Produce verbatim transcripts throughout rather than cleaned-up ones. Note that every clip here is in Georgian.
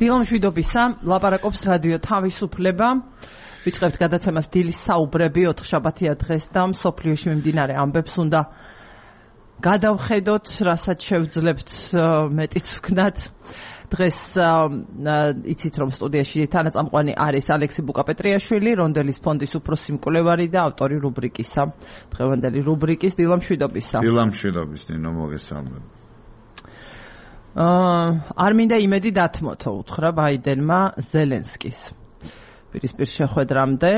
დილამშვიდობისა, ლაპარაკობს რადიო თავისუფლება. ვიწყებთ გადაცემას დილის საუბრები, ოთხშაბათია დღეს და მსოფლიოში მიმდინარე ამბებს უნდა გადავხედოთ, რასაც შევძლებთ მეტიც ვქნათ. დღეს იცით რომ სტუდიაში თანაწამყვანი არის ალექსი ბუკაპეტრიაშვილი, რონდელის ფონდის უფროსი მკვლევარი და ავტორი რუბრიკისა. დღევანდელი რუბრიკის დილამშვიდობისა. დილამშვიდობის ნინო მოგესალმებ. არ მინდა იმედი დათმოთო, უთხრა ბაიდენმა ზელენსკის პირისპირ შეხვედრამდე.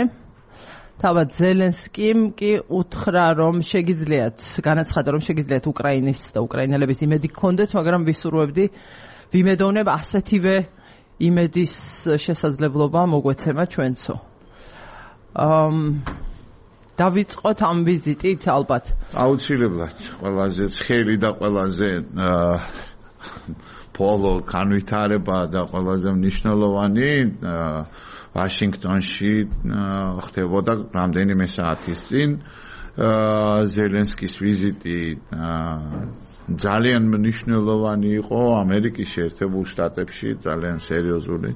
თავად ზელენსკიმ კი უთხრა, რომ შეგიძლიათ, განაცხადა, რომ შეგიძლიათ უკრაინის და უკრაინელების იმედი გქონდეთ, მაგრამ ვისურვებდი, ვიმედოვნებ ასეთივე იმედის შესაძლებლობა მოგვეცემა ჩვენცო. დავიწყოთ ამ ვიზიტით ალბათ. აუცილებლად, ყველაზე ცხელი და ყველაზე პოლო განვითარება და ყველაზე მნიშვნელოვანი ვაშინგტონში ხდებოდა რამდენიმე საათის წინ ზელენსკის ვიზიტი ძალიან მნიშვნელოვანი იყო ამერიკის შეერთებულ შტატებში, ძალიან სერიოზული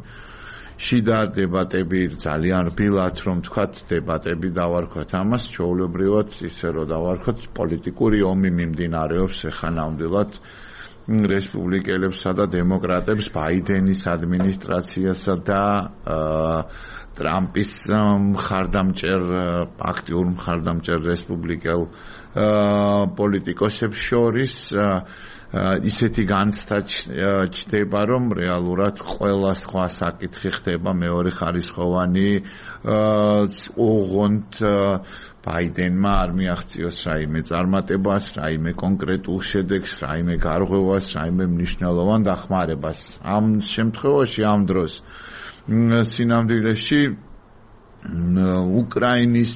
შიდა დებატები, ძალიან რბილად რომ თქვათ დებატები დავარქვათ ამას, ჩვეულებრივად ისე რომ დავარქვათ პოლიტიკური ომი მიმდინარეობს ახლა ნამდვილად რესპუბლიკელებსა და დემოკრატებს, ბაიდენის ადმინისტრაციასა და ტრამპის მხარდამჭერ, აქტიურ მხარდამჭერ რესპუბლიკელ პოლიტიკოსებს შორის ისეთი განცდა ჩდება, რომ რეალურად ყველა სხვა საკითხი ხდება მეორე ხარისხოვანი, ოღონდ ბაიდენმა არ მიაღწიოს რაიმე წარმატებას, რაიმე კონკრეტულ შედეგს, რაიმე გარღვევას, რაიმე მნიშვნელოვან დახმარებას. ამ შემთხვევაში, ამ დროს სინამდვილეში უკრაინის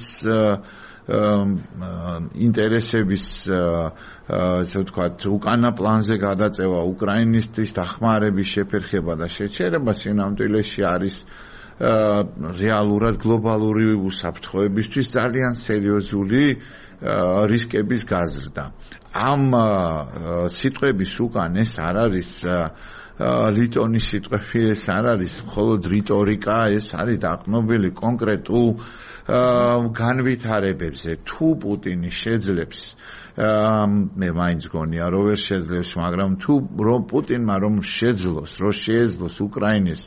ინტერესების, ასე ვთქვათ, უკანა პლანზე გადაწევა, უკრაინისტის დახმარების შეფერხება და შეჩერება სინამდვილეში არის რეალურად გლობალური უსაფრთხოებისთვის ძალიან სერიოზული რისკების გაზრდა. ამ სიტყვების უკან ეს არ არის ლიტონის სიტყვები, ეს არ არის მხოლოდ რიტორიკა, ეს არის დაყრდნობილი კონკრეტულ განვითარებებზე. თუ პუტინი შეძლებს, მე მაინც გონია რომ ვერ შეძლებს, მაგრამ თუ რომ პუტინმა რომ შეძლოს, რომ შეეძლოს უკრაინის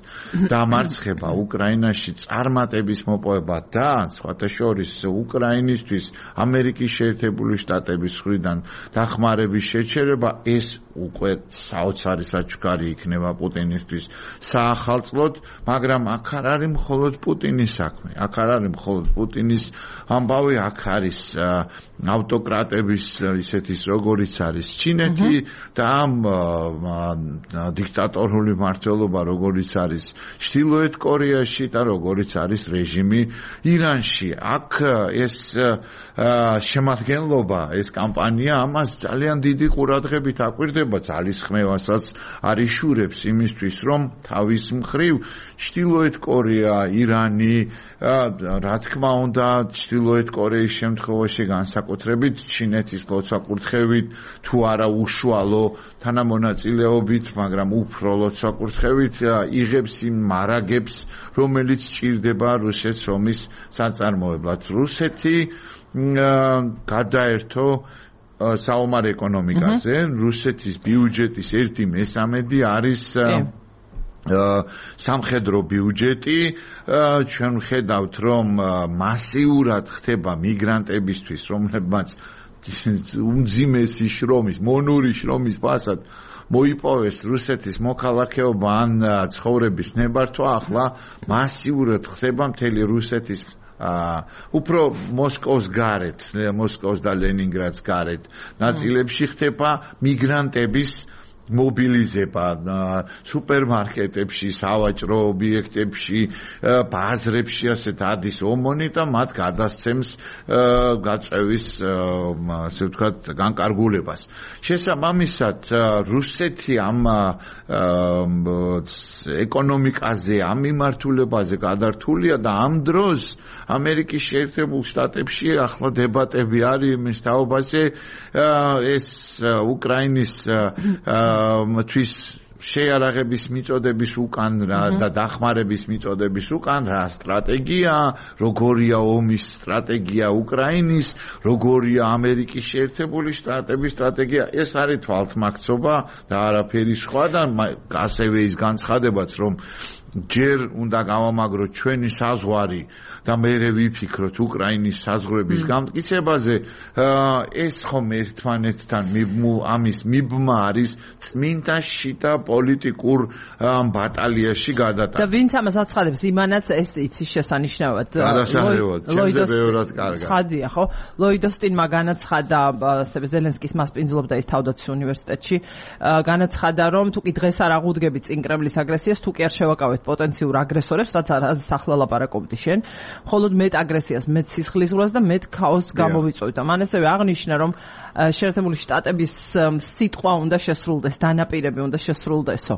დამარცხება, უკრაინაში წარმატების მოპოვება და სხვათა შორის უკრაინისთვის ამერიკის შეერთებული შტატების მხრიდან დახმარების შეჩერება, ეს უკვე საოცარი საჩუქარი იქნება პუტინისთვის საახალწლოდ, მაგრამ აქ არ არის მხოლოდ პუტინის საქმე, აქ არ არის მხოლოდ პუტინის ამბავი, აქ არის ავტოკრატების ისეთის როგორიც არის ჩინეთი და ამ დიქტატორული მმართველობა როგორიც არის ჩრდილოეთ კორეაში და როგორიც არის რეჟიმი ირანში. აქ ეს შემადგენლობა, ეს კამპანია ამას ძალიან დიდი ყურადღებით აკვირდება, ძალისხმევასაც არიშურებს იმისთვის, რომ თავის მხრივ ჩრდილოეთ კორეა, ირანი, რა თქმა უნდა, ჩრდილოეთ კორეის შემთხვევაში განსაკუთრებით ჩინეთის ლოცვა-კურთხევით, თუ არა უშუალო თანამონაწილეობით, მაგრამ უფრო ლოცვა-კურთხევით იღებს იმ მარაგებს, რომელიც ჭირდება რუსეთს ომის საწარმოებლად. რუსეთი გადაერთო საომარ ეკონომიკაზე, რუსეთის ბიუჯეტის ერთი მესამედი არის სამხედრო ბიუჯეტი. ჩვენ ვხედავთ, რომ მასიურად ხდება მიგრანტებისთვის, რომლებმაც უმძიმესი შრომის, მონური შრომის ფასად მოიპოვეს რუსეთის მოქალაქეობა ან ცხოვრების ნებართვა, ახლა მასიურად ხდება მთელი რუსეთის უფრო მოსკოვს გარეთ, მოსკოვს და ლენინგრადს გარეთ ნაწილებში ხდება მიგრანტების მობილიზება სუპერმარკეტებში, სავაჭრო ობიექტებში, ბაზრებში, ასეთ ადის ომონი და მათ გადასცემს გაწევის, ასე ვთქვათ, განკარგულებას. შესაბამისად, რუსეთი ამ ეკონომიკაზე, ამ მიმართულებაზე გადართულია და ამ დროს ამერიკის შეერთებულ შტატებში ახლა დებატები არის იმის თაობაზე, ეს უკრაინის თვის შეიარაღების მიწოდების უკან და დახმარების მიწოდების უკან რა სტრატეგია, როგორია ომის სტრატეგია უკრაინის, როგორია ამერიკის შეერთებული შტატების სტრატეგია, ეს არის თვალთმაქცობა და არაფერი სხვა და ასევე ის განცხადებაც, რომ ჯერ უნდა გავამაგროთ ჩვენი საზღვარი და მერე ვიფიქროთ უკრაინის საზღვრების გამტკიცებაზე, ეს ხომ ერთმანეთთან ამის მიბმა არის წმინდა შიდა პოლიტიკურ ბატალიაში გადატანა. და ვინც ამას აცხადებს, იმანაც ეს იცის შესანიშნავად. გადასაღებად, ჩემზე ბევრად კარგად. ცხადია, ხო? ლოიდოსტინმა განაცხადა, ასევე ზელენსკის მასპინძლობდა ის თავდაცვის უნივერსიტეტში, განაცხადა, რომ თუ კი დღეს არ აღუდგებით წინ კრემლის აგრესიას, თუ კი არ შევაკავეთ პოტენციურ აგრესორებს, რაც არის ახლა ლაპარაკობდი შენ, მხოლოდ მეტ აგრესიას, მეტ სისხლისღვრას და მეტ ქაოსს გამოვიწვევთ. მან ასევე აღნიშნა, რომ შეერთებული შტატების სიტყვა უნდა შესრულდეს, დანაპირები უნდა შესრულდესო.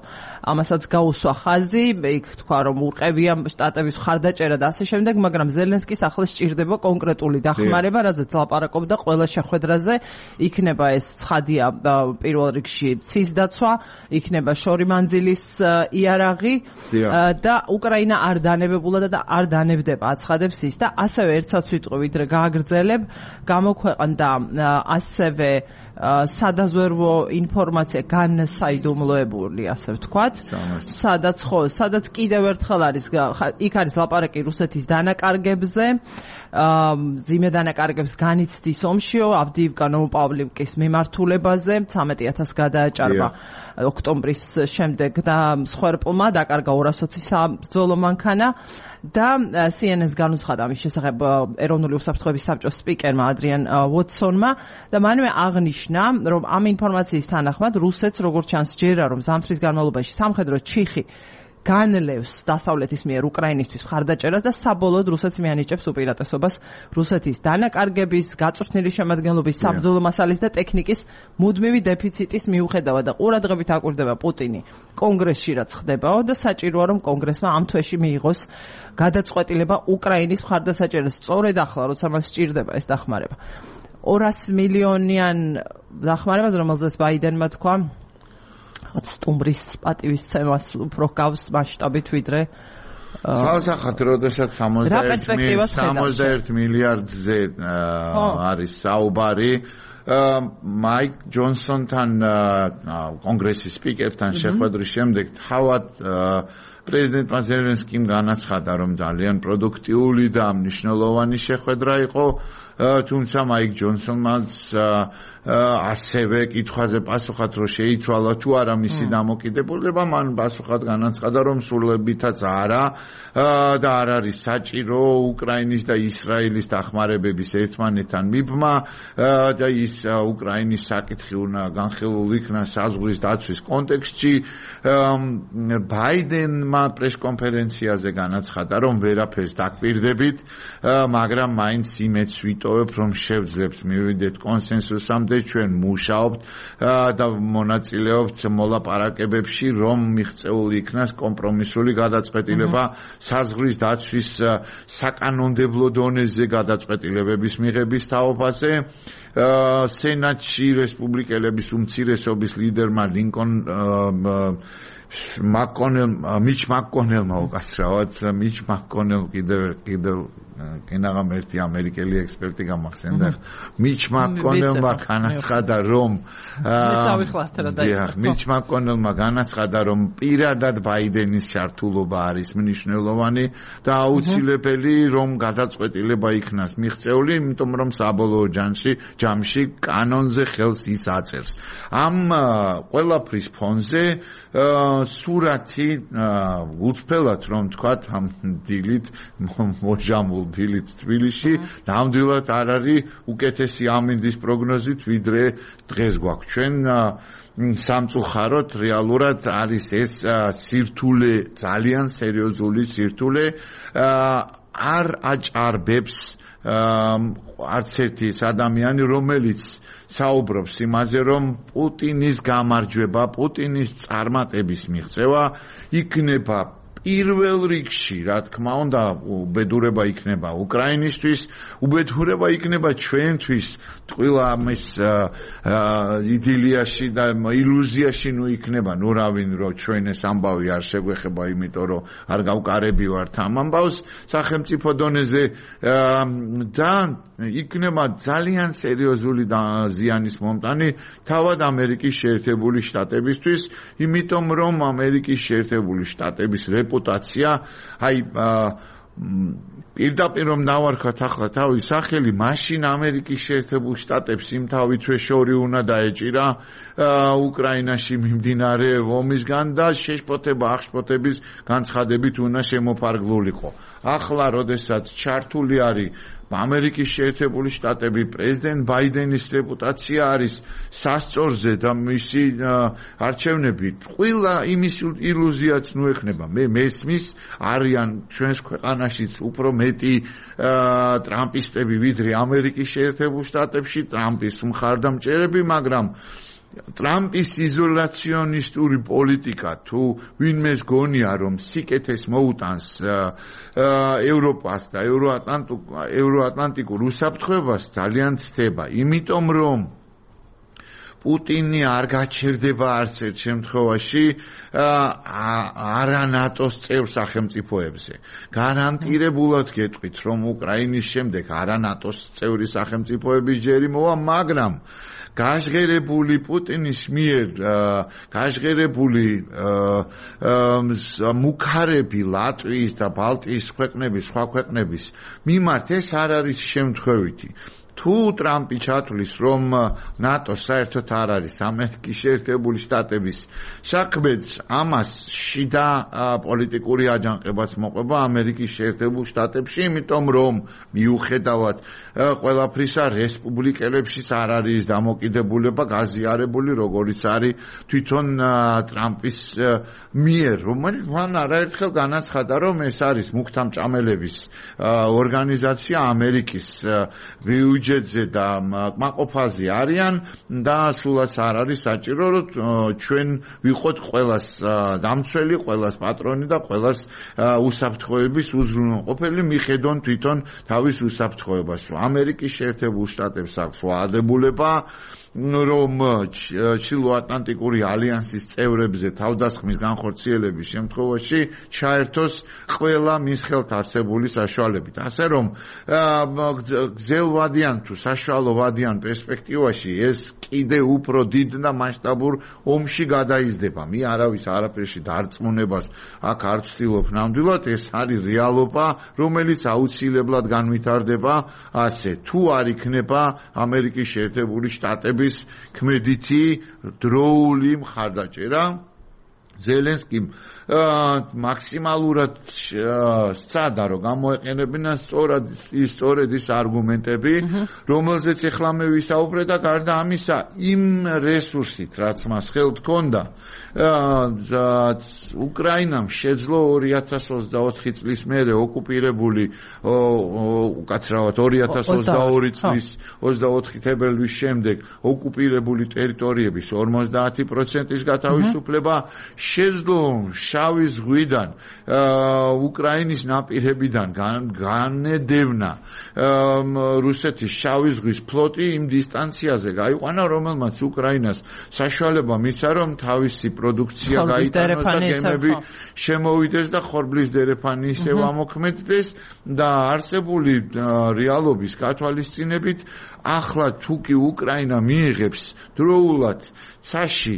ამასაც გაუსვა ხაზი, იქ თქვა, რომ ურყევია შტატების მხარდაჭერა და ასე შემდეგ, მაგრამ ზელენსკის ახლა სჭირდება კონკრეტული დახმარება, რაზეც ლაპარაკობდა ყველა შეხვედრაზე, იქნება ეს ცხადია პირველ რიგში ცის დაცვა, იქნება შორი მანძილის იარაღი და უკრაინა არ დანებებულა და არ დანებდება, აცხადებს ის და ასევე ერთსაც ვიტყვი, ვიდრე გააგრძელებ, გამოქვეყნდა ასევე სადაზვერვო ინფორმაცია განსაიდუმლოებული, ასე ვთქვათ, სადაც ხო, სადაც კიდევ ერთხელ არის, იქ არის ლაპარაკი რუსეთის დანაკარგებზე, მძიმე დანაკარგებს განიცდის ომშიო, ავდიივკა ნოვოპავლივკის მიმართულებაზე, ცამეტი ათასს გადააჭარბა ოქტომბრის შემდეგ და მსხვერპლმა დაკარგა ორას ოცი საბრძოლო მანქანა და C N N-ს განუცხადა ამის შესახებ ეროვნული უსაფრთხოების საბჭოს სპიკერმა ადრიან ვოტსონმა და მანვე აღნიშნა, რომ ამ ინფორმაციის თანახმად რუსეთს როგორც ჩანს ჯერა, რომ ზამთრის განმავლობაში სამხედრო ჩიხი განლევს დასავლეთის მიერ უკრაინისთვის მხარდაჭერას და საბოლოოდ რუსეთს მიანიჭებს უპირატესობას რუსეთის დანაკარგების, გაწვრთნილი შემადგენლობის, საბრძოლო მასალის და ტექნიკის მუდმივი დეფიციტის მიუხედავად და ყურადღებით აკვირდება პუტინი კონგრესში რაც ხდებაო და საჭიროა რომ კონგრესმა ამ თვეში მიიღოს გადაწყვეტილება უკრაინის მხარდასაჭერას. სწორედ ახლა როცა მას სჭირდება ეს დახმარება. ორასი მილიონიან დახმარებას, რომელზეც ბაიდენმა თქვა სტუმრის პატივისცემას უფრო გავს მასშტაბით ვიდრე სალსახად, როდესაც სამოცდაერთი მილიარდზე არის საუბარი, მაიკ ჯონსონთან კონგრესის სპიკერთან შეხვედრის შემდეგ თავად პრეზიდენტმა ზელენსკიმ განაცხადა, რომ ძალიან პროდუქტიული და მნიშვნელოვანი შეხვედრა იყო, თუმცა მაიკ ჯონსონმაც ასევე კითხვაზე პასუხად რომ შეიცვალა თუ არა მისი დამოკიდებულება, მან პასუხად განაცხადა, რომ სრულებითაც არა და არ არის საჭირო უკრაინის და ისრაელის დახმარებების ერთმანეთთან მიბმა და ის უკრაინის საკითხი უნდა განხილულ იქნა საზღვრის დაცვის კონტექსტში. ბაიდენმა პრესკონფერენციაზე განაცხადა, რომ ვერაფერს დაკვირდებით, მაგრამ მაინც იმედს ვიტოვებ, რომ შევძლებს მივიდეთ კონსენსუსამდე, ჩვენ მუშაობთ და მონაწილეობთ მოლაპარაკებებში, რომ მიღწეული იქნას კომპრომისული გადაწყვეტილება საზღვრის დაცვის საკანონმდებლო დონეზე გადაწყვეტილებების მიღების თაობაზე. სენატში რესპუბლიკელების უმცირესობის ლიდერმა ლინკონ მაკონელ მიჩ მაკონელმა უკაცრავად მიჩ მაკონელ კიდევ კიდევ კენაღამ ერთი ამერიკელი ექსპერტი გამახსენდა მიჩ მაკონელმა განაცხადა რომ მიჩ მაკონელმა განაცხადა რომ პირადად ბაიდენის ჩართულობა არის მნიშვნელოვანი და აუცილებელი რომ გადაწყვეტილება იქნას მიღწეული, იმიტომ რომ საბოლოო ჯამში ჯამში კანონზე ხელს ის აწერს. ამ ყველაფრის ფონზე სურათი უცფელად რომ თქვათ ამ დილით მოჟამულ დილით თბილისში ნამდვილად არ არის უკეთესი ამინდის პროგნოზით ვიდრე დღეს გვაქვს ჩვენ სამწუხაროდ რეალურად არის ეს სირთულე ძალიან სერიოზული სირთულე არ აჭარბებს არც ერთი ადამიანი რომელიც საუბრობს იმაზე რომ პუტინის გამარჯვება, პუტინის წარმატების მიღწევა იქნება პირველ რიგში, რა თქმა უნდა, უბედურება იქნება უკრაინისთვის, უბედურება იქნება ჩვენთვის, ტყუილა ამის იდილიაში და ილუზიაში ნუ იქნება, ნუ რავინ რომ ჩვენ ეს ამბავი არ შეგვეხება, იმიტომ რომ არ გავკარები ვართ ამ ამბავს სახელმწიფო დონეზე და იქნება ძალიან სერიოზული ზიანის მომტანი თავად ამერიკის შეერთებული შტატებისთვის, იმიტომ რომ ამერიკის შეერთებული შტატების რეპუტაცია, აი პირდაპირ რომ დავარქვათ ახლა თავის სახელი, მაშინ ამერიკის შეერთებულ შტატებს იმ თავითვე შორი უნდა დაეჭირა უკრაინაში მიმდინარე ომისგან და შეშფოთება აღშფოთების განცხადებით უნდა შემოფარგლულიყო. ახლა როდესაც ჩართული არის ამერიკის შეერთებული შტატები, პრეზიდენტ ბაიდენის რეპუტაცია არის სასწორზე და მისი არჩევნები, ყველა იმის ილუზიაც ნუ ექნება. მე მესმის არიან ჩვენს ქვეყანაშიც უფრო მეტი ტრამპისტები ვიდრე ამერიკის შეერთებულ შტატებში, ტრამპის მხარდამჭერები, მაგრამ ტრამპის იზოლაციონისტური პოლიტიკა თუ ვინმეს გონია რომ სიკეთეს მოუტანს ევროპას და ევროატლანტიკურ უსაფრთხოებას ძალიან ცდება, იმიტომ რომ პუტინი არ გაჩერდება არც ერთ შემთხვევაში არა ნატოს წევრ სახელმწიფოებზე. გარანტირებულად გეტყვით რომ უკრაინის შემდეგ არა ნატოს წევრი სახელმწიფოების ჯერი მოვა, მაგრამ გაჟღერებული პუტინის მიერ გაჟღერებული მუქარები ლატვიის და ბალტიის ქვეყნების, სხვა ქვეყნების მიმართ ეს არ არის შემთხვევითი. თუ ტრამპი ჩათვლის რომ ნატო საერთოდ არ არის ამერიკის შეერთებული შტატების საქმეც, ამას შიდა პოლიტიკური აჯანყებაც მოყვება ამერიკის შეერთებულ შტატებში, იმიტომ რომ მიუხედავად ყველაფრისა რესპუბლიკელებშიც არ არის დამოკიდებულება გაზიარებული, როგორც არის თვითონ ტრამპის მიერ, რომელიც მან არაერთხელ განაცხადა, რომ ეს არის მუქთამჭამელების ორგანიზაცია ამერიკის ბიუჯეტზე და კმაყოფაზე არიან და სულაც არ არის საჭირო რომ ჩვენ ვიყოთ ყველას დამცველი, ყველას პატრონი და ყველას უსაფრთხოების უზრუნველყოფელი მიხედონ თვითონ თავის უსაფრთხოებას. ამერიკის შეერთებულ შტატებს აქვს ვალდებულება რომ ჩრდილოატლანტიკური ალიანსის წევრებზე თავდასხმის განხორციელების შემთხვევაში ჩაერთოს ყველა მის ხელთ არსებული საშუალებით. ასე რომ გრძელვადიან თუ საშუალოვადიან პერსპექტივაში ეს კიდე უფრო დიდ და მასშტაბურ ომში გადაიზრდება. მე არავის არაფერში დარწმუნებას აქ არ ვცდილობ ნამდვილად, ეს არის რეალობა, რომელიც აუცილებლად განვითარდება ასე. თუ არ იქნება ამერიკის შეერთებული შტატები ქმედითი დროული მხარდაჭერა, ზელენსკიმ მაქსიმალურად სცადა რომ გამოეყენებინა სწორად ის სწორედ ის არგუმენტები, რომელზეც ახლა მე ვისაუბრე და გარდა ამისა იმ რესურსით, რაც მას ხელთ ჰქონდა, უკრაინამ შეძლო ორი ათას ოცდაოთხი წლის მერე ოკუპირებული უკაცრავად ორი ათას ოცდაორი წლის ოცდაოთხი თებერვლის შემდეგ ოკუპირებული ტერიტორიების ორმოცდაათი პროცენტის გათავისუფლება შეძლო შავი ზღვიდან უკრაინის ნაპირებიდან განედევნა რუსეთის შავი ზღვის ფლოტი იმ დისტანციაზე გაიყვანა, რომელმაც უკრაინას საშუალება მისცა რომ თავისი პროდუქცია გაიტანოს და გემები შემოვიდეს და ხორბლის დერეფანი ისევ ამოქმედდეს და არსებული რეალობის გათვალისწინებით ახლა თუ კი უკრაინა მიიღებს დროულად ცაში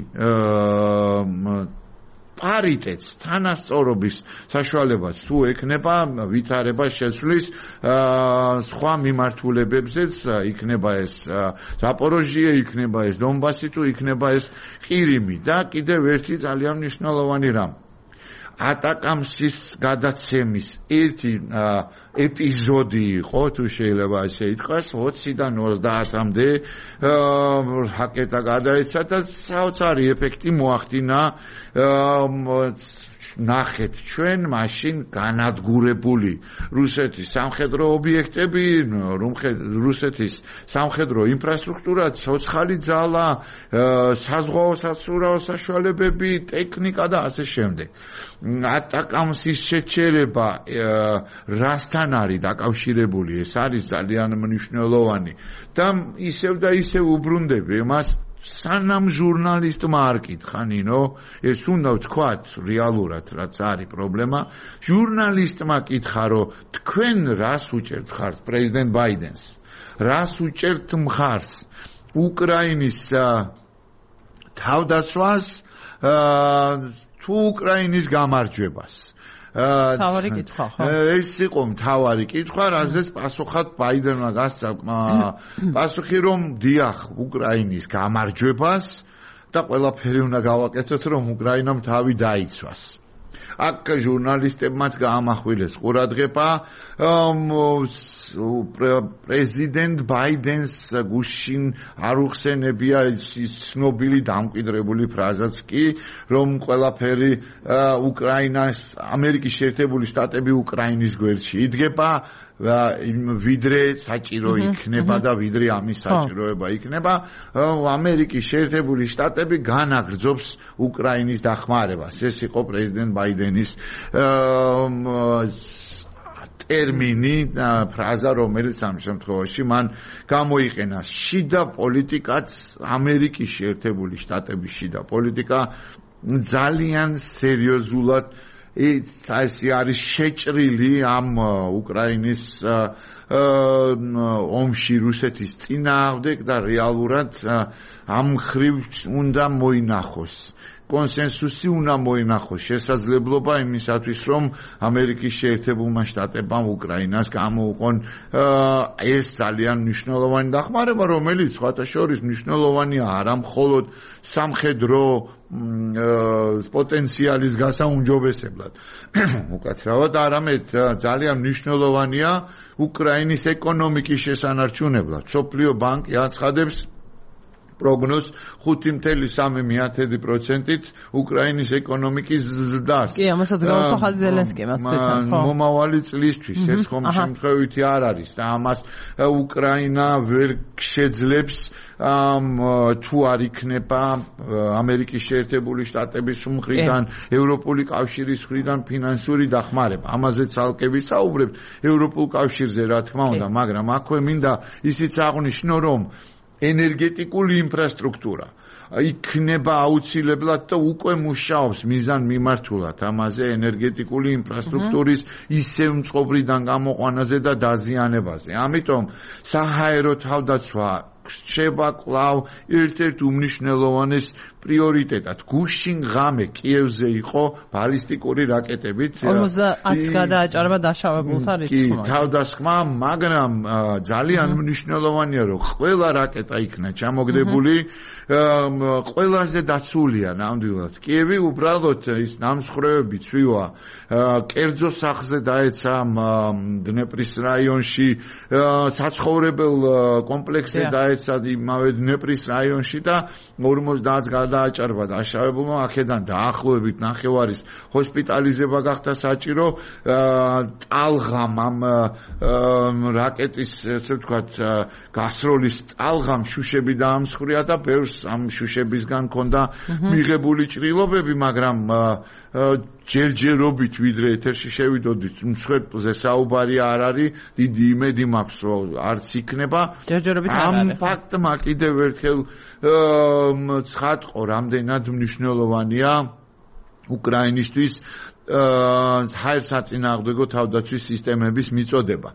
პარიტეტს, თანასწორობის საშუალებას თუ ექნება ვითარება შეცვლის სხვა მიმართულებებზეც, იქნება ეს ზაპოროჟიე, იქნება ეს დონბასი, თუ იქნება ეს ყირიმი და კიდევ ერთი ძალიან მნიშვნელოვანი რამ. ატაკამსის გადაცემის ერთი ეპიზოდი იყო, თუ შეიძლება ასე ითქვას, ოციდან ოცდაათამდე რაკეტა გადაეცა და საოცარი ეფექტი მოახდინა. ნახეთ ჩვენ მაშინ განადგურებული რუსეთის სამხედრო ობიექტები, რუსეთის სამხედრო ინფრასტრუქტურა, ცოცხალი ძალა, საზღვაო სასურაო საშუალებები, ტექნიკა და ასე შემდეგ. ატაკამს ის შეჩერება რასთან არის დაკავშირებული, ეს არის ძალიან მნიშვნელოვანი და ისევ და ისევ უბრუნდები მას სანამ ჟურნალისტმა არ კითხა ნინო, ეს უნდა ვთქვათ რეალურად რაც არის პრობლემა, ჟურნალისტმა კითხა რომ თქვენ რას უჭერთ ხართ პრეზიდენტ ბაიდენს, რას უჭერთ მხარს უკრაინის თავდაცვას თუ უკრაინის გამარჯვებას. თავარი კითხვა ხო? ეს იყო თავარი კითხვა, რაზეც პასუხად ბაიდენმა გასცა პასუხი რომ დიახ უკრაინის გამარჯვებას და ყველაფერი უნდა გავაკეთოთ რომ უკრაინამ თავი დაიცვას. აქ ჟურნალისტებმაც გაამახვილეს ყურადღება პრეზიდენტ ბაიდენს გუშინ არ უხსენებია ის ცნობილი დამკვიდრებული ფრაზაც კი რომ ყველაფერი უკრაინას ამერიკის შეერთებული შტატები უკრაინის გვერდში იდგება ვიდრე საჭირო იქნება და ვიდრე ამის საჭიროება იქნება ამერიკის შეერთებული შტატები განაგრძობს უკრაინის დახმარებას. ეს იყო პრეზიდენტ ბაიდენის ტერმინი ფრაზა რომელიც ამ შემთხვევაში მან გამოიყენა. შიდა პოლიტიკაც ამერიკის შეერთებული შტატების შიდა პოლიტიკა ძალიან სერიოზულად ეს არის შეჭრილი ამ უკრაინის ომში რუსეთის წინააღმდეგ და რეალურად ამ ხრივ უნდა მოინახოს კონსენსუსი უნდა მოინახოს შესაძლებლობა იმისათვის რომ ამერიკის შეერთებულმა შტატებმა უკრაინას გამოუყონ ეს ძალიან მნიშვნელოვანი დახმარება რომელიც სხვათა შორის მნიშვნელოვანია არა მხოლოდ სამხედრო პოტენციალის გასაუმჯობესებლად უკაცრავად არამედ ძალიან მნიშვნელოვანია უკრაინის ეკონომიკის შესანარჩუნებლად. მსოფლიო ბანკი აცხადებს პროგნოზს ხუთი წუთი სამი პროცენტით უკრაინის ეკონომიკის ზრდას. კი, ამასაც გავუსახა ზელენსკიმ ასეთთან, ხო? მომავალი წლისთვის ეს ხომ შემთხვევითი არ არის და ამას უკრაინა ვერ შეძლებს თუ არ იქნება ამერიკის შეერთებული შტატების მხრიდან, ევროპული კავშირის მხრიდან ფინანსური დახმარება. ამაზე ცალკე ვისაუბრებთ ევროპულ კავშირზე რა თქმა უნდა, მაგრამ აქვე მინდა ისიც აღვნიშნო რომ ენერგეტიკული ინფრასტრუქტურა იქნება აუცილებლად და უკვე მუშაობს მიზან მიმართულად ამაზე ენერგეტიკული ინფრასტრუქტურის ისევ მწყობრიდან გამოყვანაზე და დაზიანებაზე. ამიტომ საჰაერო თავდაცვა რჩება კვლავ ერთ-ერთ უმნიშვნელოვანეს პრიორიტეტად. გუშინ ღამე კიევზე იყო ბალისტიკური რაკეტებით ორმოცდაათს გადააჭარბა დაშავებულთა რიცხვი. კი, თავდასხმა, მაგრამ ძალიან მნიშვნელოვანია რომ ყველა რაკეტა იქნა ჩამოგდებული ყველაზე დაცულია ნამდვილად. კიევი უბრალოდ ის ნამსხვრევები ცვივა კერძო სახლზე დაეცა დნეპრის რაიონში საცხოვრებელ კომპლექსზე დაეცა იმავე დნეპრის რაიონში და ორმოცდაათს გადააჭარბა დაშავებულმა აქედან დაახლოებით ნახევარის ჰოსპიტალიზება გახდა საჭირო. ტალღამ ამ რაკეტის ესე ვთქვათ გასროლის ტალღამ შუშები დაამსხვრია და ბევრს ამ შუშებისგან ჰქონდა მიღებული ჭრილობები, მაგრამ ჯერჯერობით ვიდრე ეთერში შევიდოდით მსხვერპლზე საუბარი არ არის, დიდი იმედი მაქვს რომ არც იქნება. ჯერჯერობით არ არის. ამ ფაქტმა კიდევ ერთხელ ცხადყო რამდენად მნიშვნელოვანია უკრაინისთვის ჰაერსაწინააღმდეგო თავდაცვის სისტემების მიწოდება.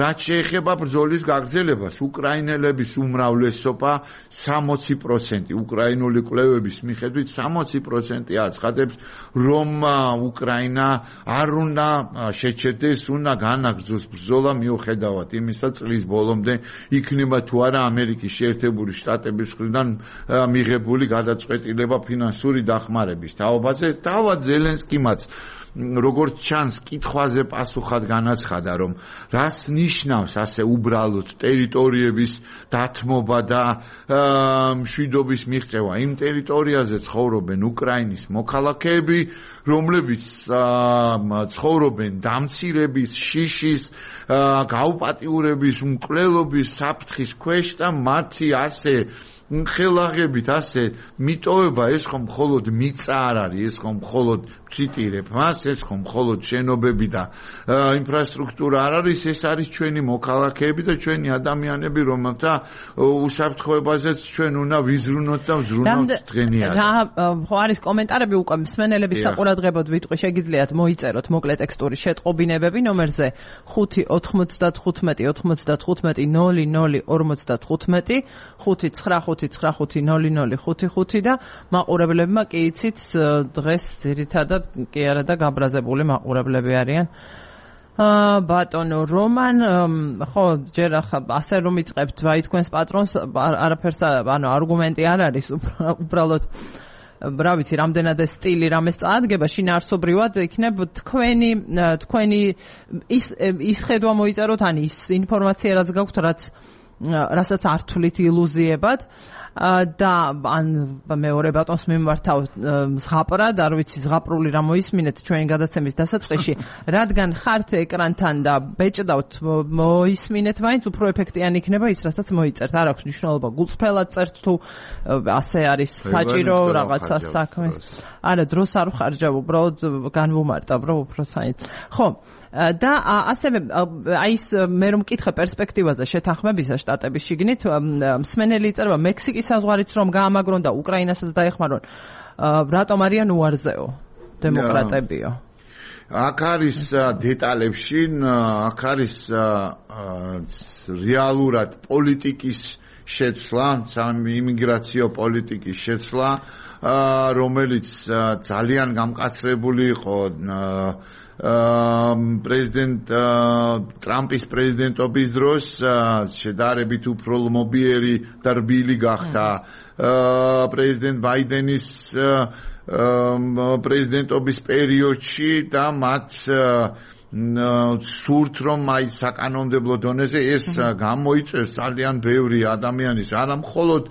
რაც შეეხება ბრძოლის გაგრძელებას, უკრაინელების უმრავლესობა სამოცი პროცენტი უკრაინული კვლევების მიხედვით სამოცი პროცენტი აცხადებს, რომ უკრაინა არ უნდა შეჩერდეს, უნდა განაგრძოს ბრძოლა მიუხედავად იმისა, წლის ბოლომდე იქნება თუ არა ამერიკის შეერთებული შტატების მხრიდან მიღებული გადაწყვეტილება ფინანსური დახმარების თაობაზე. თავად ზელენსკიმაც როგორც ჩანს კითხვაზე პასუხად განაცხადა რომ რას ნიშნავს ასე უბრალოდ ტერიტორიების დათმობა და მშვიდობის მიღწევა. იმ ტერიტორიაზე ცხოვრობენ უკრაინის მოქალაქეები რომლებიც ცხოვრობენ დამცირების, შიშის, გაუპატიურების, უმკვლელობის საფრთხის ქვეშ და მათი ასე ხელაღებით ასე მიტოვება ეს ხომ მხოლოდ მიწა არ არის, ეს ხომ მხოლოდ ვციტირებ მას, ეს ხომ მხოლოდ შენობები და ინფრასტრუქტურა არ არის, ეს არის ჩვენი მოქალაქეები და ჩვენი ადამიანები, რომელთა უსაფრთხოებაზეც ჩვენ უნდა ვიზრუნოთ და ვზრუნოთ დღენიად. რა ხო არის კომენტარები უკვე მსმენელების საყურადღებოდ ვიტყვი, შეგიძლიათ მოიწეროთ მოკლე ტექსტური შეტყობინებები ნომერზე ხუთი ოცდათხუთმეტი ოცდათხუთმეტი ნული ნული ორმოცდათხუთმეტი ხუთი ცხრა ხუთი ცხრა ხუთი ნული ნული ხუთი ხუთი და მაყურებლებმა კი იცით დღეს ძირითადად კი არა და გაბრაზებული მაყურებლები არიან. აა ბატონო რომან ხო ჯერ ახლა ასე რომ იწყებთ ვაი თქვენს პატრონს არაფერს ანუ არგუმენტი არ არის უბრალოდ რა ვიცი რამდენად ეს სტილი რამეს წაადგება შინაარსობრივად იქნებ თქვენი თქვენი ის ის ხედვა მოიწეროთ ან ის ინფორმაცია რაც გაქვთ რაც რასაც არ თვლით ილუზიებად და ან მეორე ბატონს მიმართავ ზღაპრად, არ ვიცი ზღაპრული რა მოისმინეთ ჩვენი გადაცემის დასაწყისში, რადგან ხართ ეკრანთან და ბეჭდავთ მოისმინეთ მაინც უფრო ეფექტიანი იქნება ის რასაც მოიწერთ. არ აქვს მნიშვნელობა გულწრფელად წერთ თუ ასე არის საჭირო რაღაცა საქმეს. არა დროს არ ვხარჯავ, უბრალოდ განვუმარტავ რომ უფრო საინც. ხო და ასევე აი ეს მე რომ მკითხე პერსპექტივაზე შეთანხმებისა შტატების შიგნით მსმენელი იწერება მექსიკის საზღვარიც რომ გაამაგრონ და უკრაინასაც დაეხმარონ რატომ არიან უარზეო დემოკრატებიო აქ არის დეტალებში აქ არის რეალურად პოლიტიკის შეცვლა იმიგრაციო პოლიტიკის შეცვლა რომელიც ძალიან გამკაცრებული იყო პრეზიდენტ ტრამპის პრეზიდენტობის დროს შედარებით უფრო ლმობიერი და რბილი გახდა პრეზიდენტ ბაიდენის პრეზიდენტობის პერიოდში და მათ სურთ რომ აი საკანონმდებლო დონეზე ეს გამოიწვევს ძალიან ბევრი ადამიანის არა მხოლოდ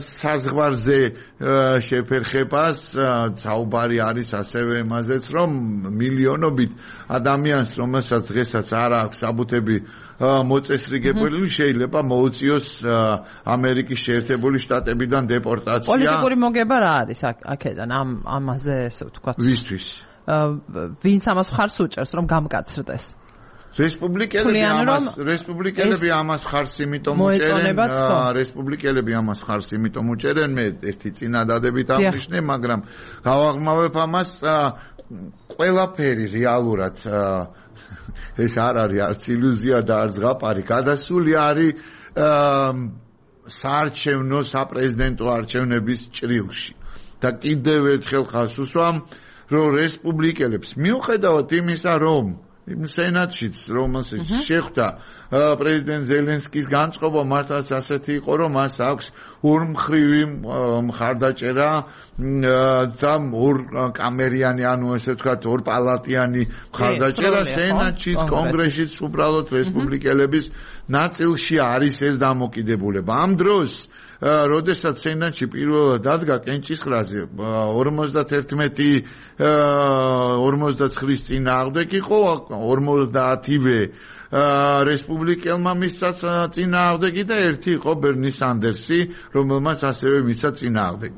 საზღვარზე შეფერხებას საუბარი არის ასევე იმაზეც რომ მილიონობით ადამიანს რომელსაც დღესაც არ აქვს საბუთები მოწესრიგებული შეიძლება მოუწიოს ამერიკის შეერთებული შტატებიდან დეპორტაცია პოლიტიკური მოგება რა არის აქედან ამ ამაზე ესე ვთქვათ ვისთვის ვინც ამას ხარს უჭერს რომ გამკაცრდეს რესპუბლიკელები ამას რესპუბლიკელები ამას ხარს იმიტომ უჭერენ რესპუბლიკელები ამას ხარს იმიტომ უჭერენ მე ერთი წინადადებით აღნიშნე მაგრამ გავაღრმავებ ამას ყველაფერი რეალურად ეს არ არის არც ილუზია და არც ზღაპარი გადასული არის საარჩევნო საპრეზიდენტო არჩევნების ჭრილში და კიდევ ერთხელ ხაზს უსვამ რომ რესპუბლიკელებს მიუხედავად იმისა რომ იმ სენატშიც რომელსაც შეხვდა პრეზიდენტ ზელენსკის განწყობა მართლაც ასეთი იყო რომ მას აქვს ორმხრივი მხარდაჭერა და ორ კამერიანი ანუ ესე ვთქვათ ორ პალატიანი მხარდაჭერა სენატშიც კონგრესშიც უბრალოდ რესპუბლიკელების ნაწილში არის ეს დამოკიდებულება ამ დროს როდესაც სენატში პირველად დადგა კენჭისყრაზე ორმოცდაერთმეტი ორმოცდაცხრის წინააღმდეგ იყო ორმოცდაათივე რესპუბლიკელმა მისცა წინააღმდეგი და ერთი იყო ბერნი სანდერსი რომელმაც ასევე მისცა წინააღმდეგი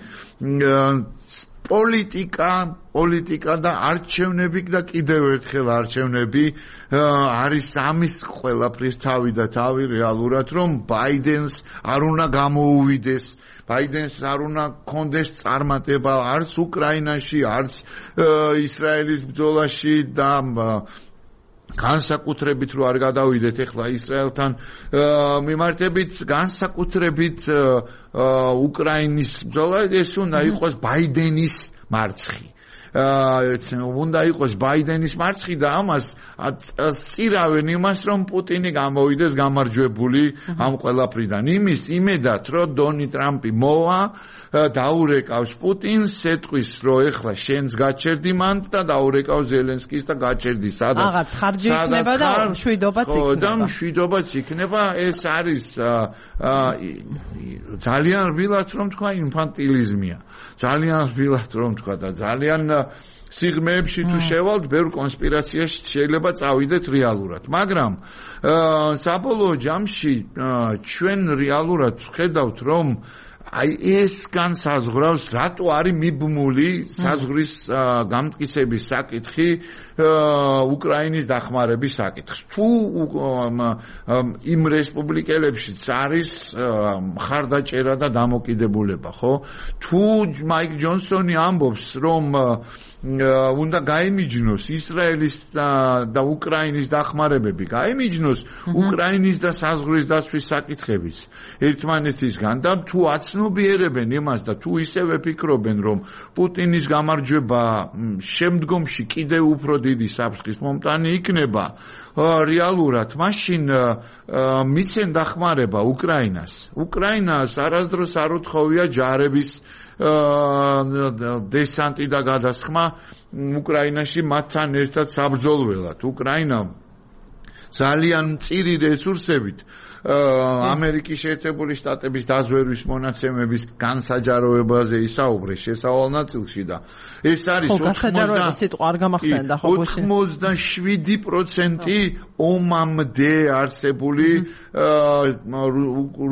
პოლიტიკა პოლიტიკა და არჩევნები და კიდევ ერთხელ არჩევნები არის ამის ყველაფრის თავი და თავი რეალურად რომ ბაიდენს არ უნდა გამოუვიდეს ბაიდენს არ უნდა კონდეს წარმატება არც უკრაინაში არც ისრაელის ბრძოლაში და განსაკუთრებით რო არ გადავიდეთ ახლა ისრაელთან მიმართებით განსაკუთრებით უკრაინის ბრძოლა ეს უნდა იყოს ბაიდენის მარცხი უნდა იყოს ბაიდენის მარცხი და ამას წირავენ იმას რომ პუტინი გამოვიდეს გამარჯვებული ამ ყველაფრიდან იმის იმედად რომ დონი ტრამპი მოვა დაურეკავს პუტინს ეთყვის რომ ეხლა შენს გაჩერდი მან და დაურეკავს ზელენსკის და გაჩერდი სადაც რაღაც ხარჯი იქნება და მშვიდობაც იქნება და მშვიდობაც იქნება ეს არის ძალიან რბილად რომ თქვა ინფანტილიზმია ძალიან რბილად რომ თქვა და ძალიან სიღრმეებში თუ შევალთ, ბევრ კონსპირაციაში შეიძლება წავიდეთ რეალურად. მაგრამ საბოლოო ჯამში ჩვენ რეალურად ხედავთ, რომ აი ეს განსაზღვრავს, რატო არის მიბმული საზღვრის გამტკიცების საკითხი უკრაინის დახმარების საკითხს. თუ იმ რესპუბლიკელებშიც არის მხარდაჭერა და დამოკიდებულება, ხო? თუ მაიკ ჯონსონი ამბობს, რომ უნდა გაიმიჯნოს ისრაელის და უკრაინის დახმარებები, გაიმიჯნოს უკრაინის და საზღვრის დაცვის საკითხების ერთმანეთისგან და თუ აცნობიერებენ იმას და თუ ისევე ფიქრობენ, რომ პუტინის გამარჯვება შემდგომში კიდევ უფრო დიდი საფრთხის მომტანი იქნება, რეალურად მაშინ მიცენ დახმარება უკრაინას. უკრაინას არასდროს არ უთხოვია ჯარების დესანტი და გადასხმა უკრაინაში მათთან ერთად საბრძოლველად. უკრაინა ძალიან მწირი რესურსებით ამერიკის შეერთებული შტატების დაზვერვის მონაცემების განსაჯაროებაზე ისაუბრეს შესავალ ნაწილში და ეს არის ოცდაშვიდი პროცენტი ომამდე არსებული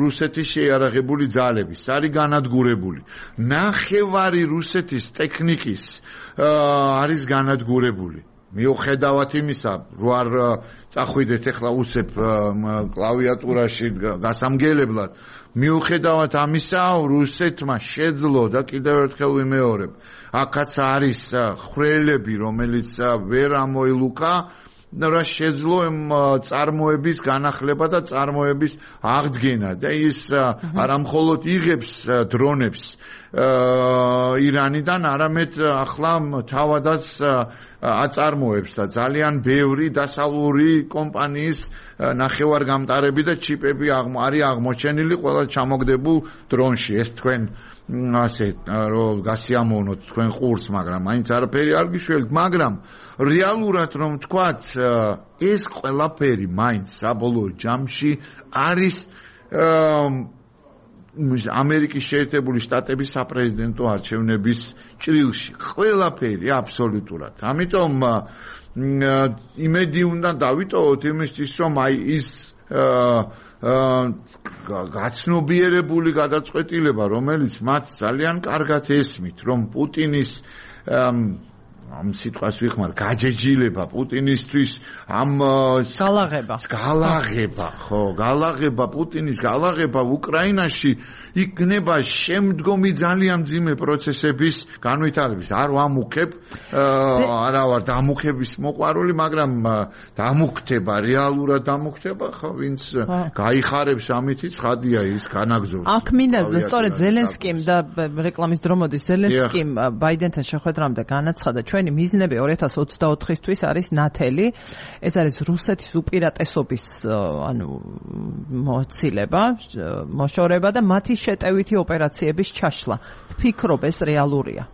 რუსეთის შეიარაღებული ძალების არის განადგურებული. ნახევარი რუსეთის ტექნიკის არის განადგურებული. მიუხედავად იმისა, რო არ წახვიდეთ ახლა უცებ კლავიატურაში გასამგებლად, მიუხედავად ამისა, რუსეთმა შეძლო და კიდევ ერთხელ ვიმეორებ, აქაც არის ხვრელები, რომელიც ვერ ამოილუკა, რა შეძლო წარმოების განახლება და წარმოების აღდგენა და ის არა მხოლოდ იღებს დრონებს ირანიდან, არამედ ახლა თავადაც აწარმოებს და ძალიან ბევრი დასავლური კომპანიის ნახევარგამტარები და ჩიპები არის აღმოჩენილი ყველა ჩამოგდებულ დრონში. ეს თქვენ ასე რომ გასიამოვნოთ თქვენ ყურს, მაგრამ მაინც არაფერი არ გიშველთ, მაგრამ რეალურად რომ თქვათ, ეს ყველაფერი მაინც საბოლოო ჯამში არის ამერიკის შეერთებული შტატების საპრეზიდენტო არჩევნების ჭრილში. ყველაფერი აბსოლუტურად. ამიტომ იმედი უნდა დავიტოვოთ იმისთვის, რომ აი ის გაცნობიერებული გადაწყვეტილება, რომელიც მათ ძალიან კარგად ესმით, რომ პუტინის ამ სიტყვას ვიხმარ, გაჯეჯილება პუტინისთვის ამ გალაღება. გალაღება, ხო, გალაღება პუტინის გალაღება უკრაინაში იქნება შემდგომი ძალიან მძიმე პროცესების განვითარების. არ ვამუქებ, არა ვარ დამუქების მოყვარული, მაგრამ დამუქდება, რეალურად დამუქდება, ხო, ვინც გაიხარებს ამითი ცხადია ის განაგზობს. აქ მინდა სწორედ ზელენსკიმ და რეკლამის დრო მოდის, ზელენსკიმ ბაიდენთან შეხვედრამდე განაცხადა, ჩვენი მიზნები ორი ათას ოცდაოთხისთვის არის ნათელი. ეს არის რუსეთის უპირატესობის ანუ მოცილება, მოშორება და მათი შეტევითი ოპერაციების ჩაშლა. ფიქრობ ეს რეალურია.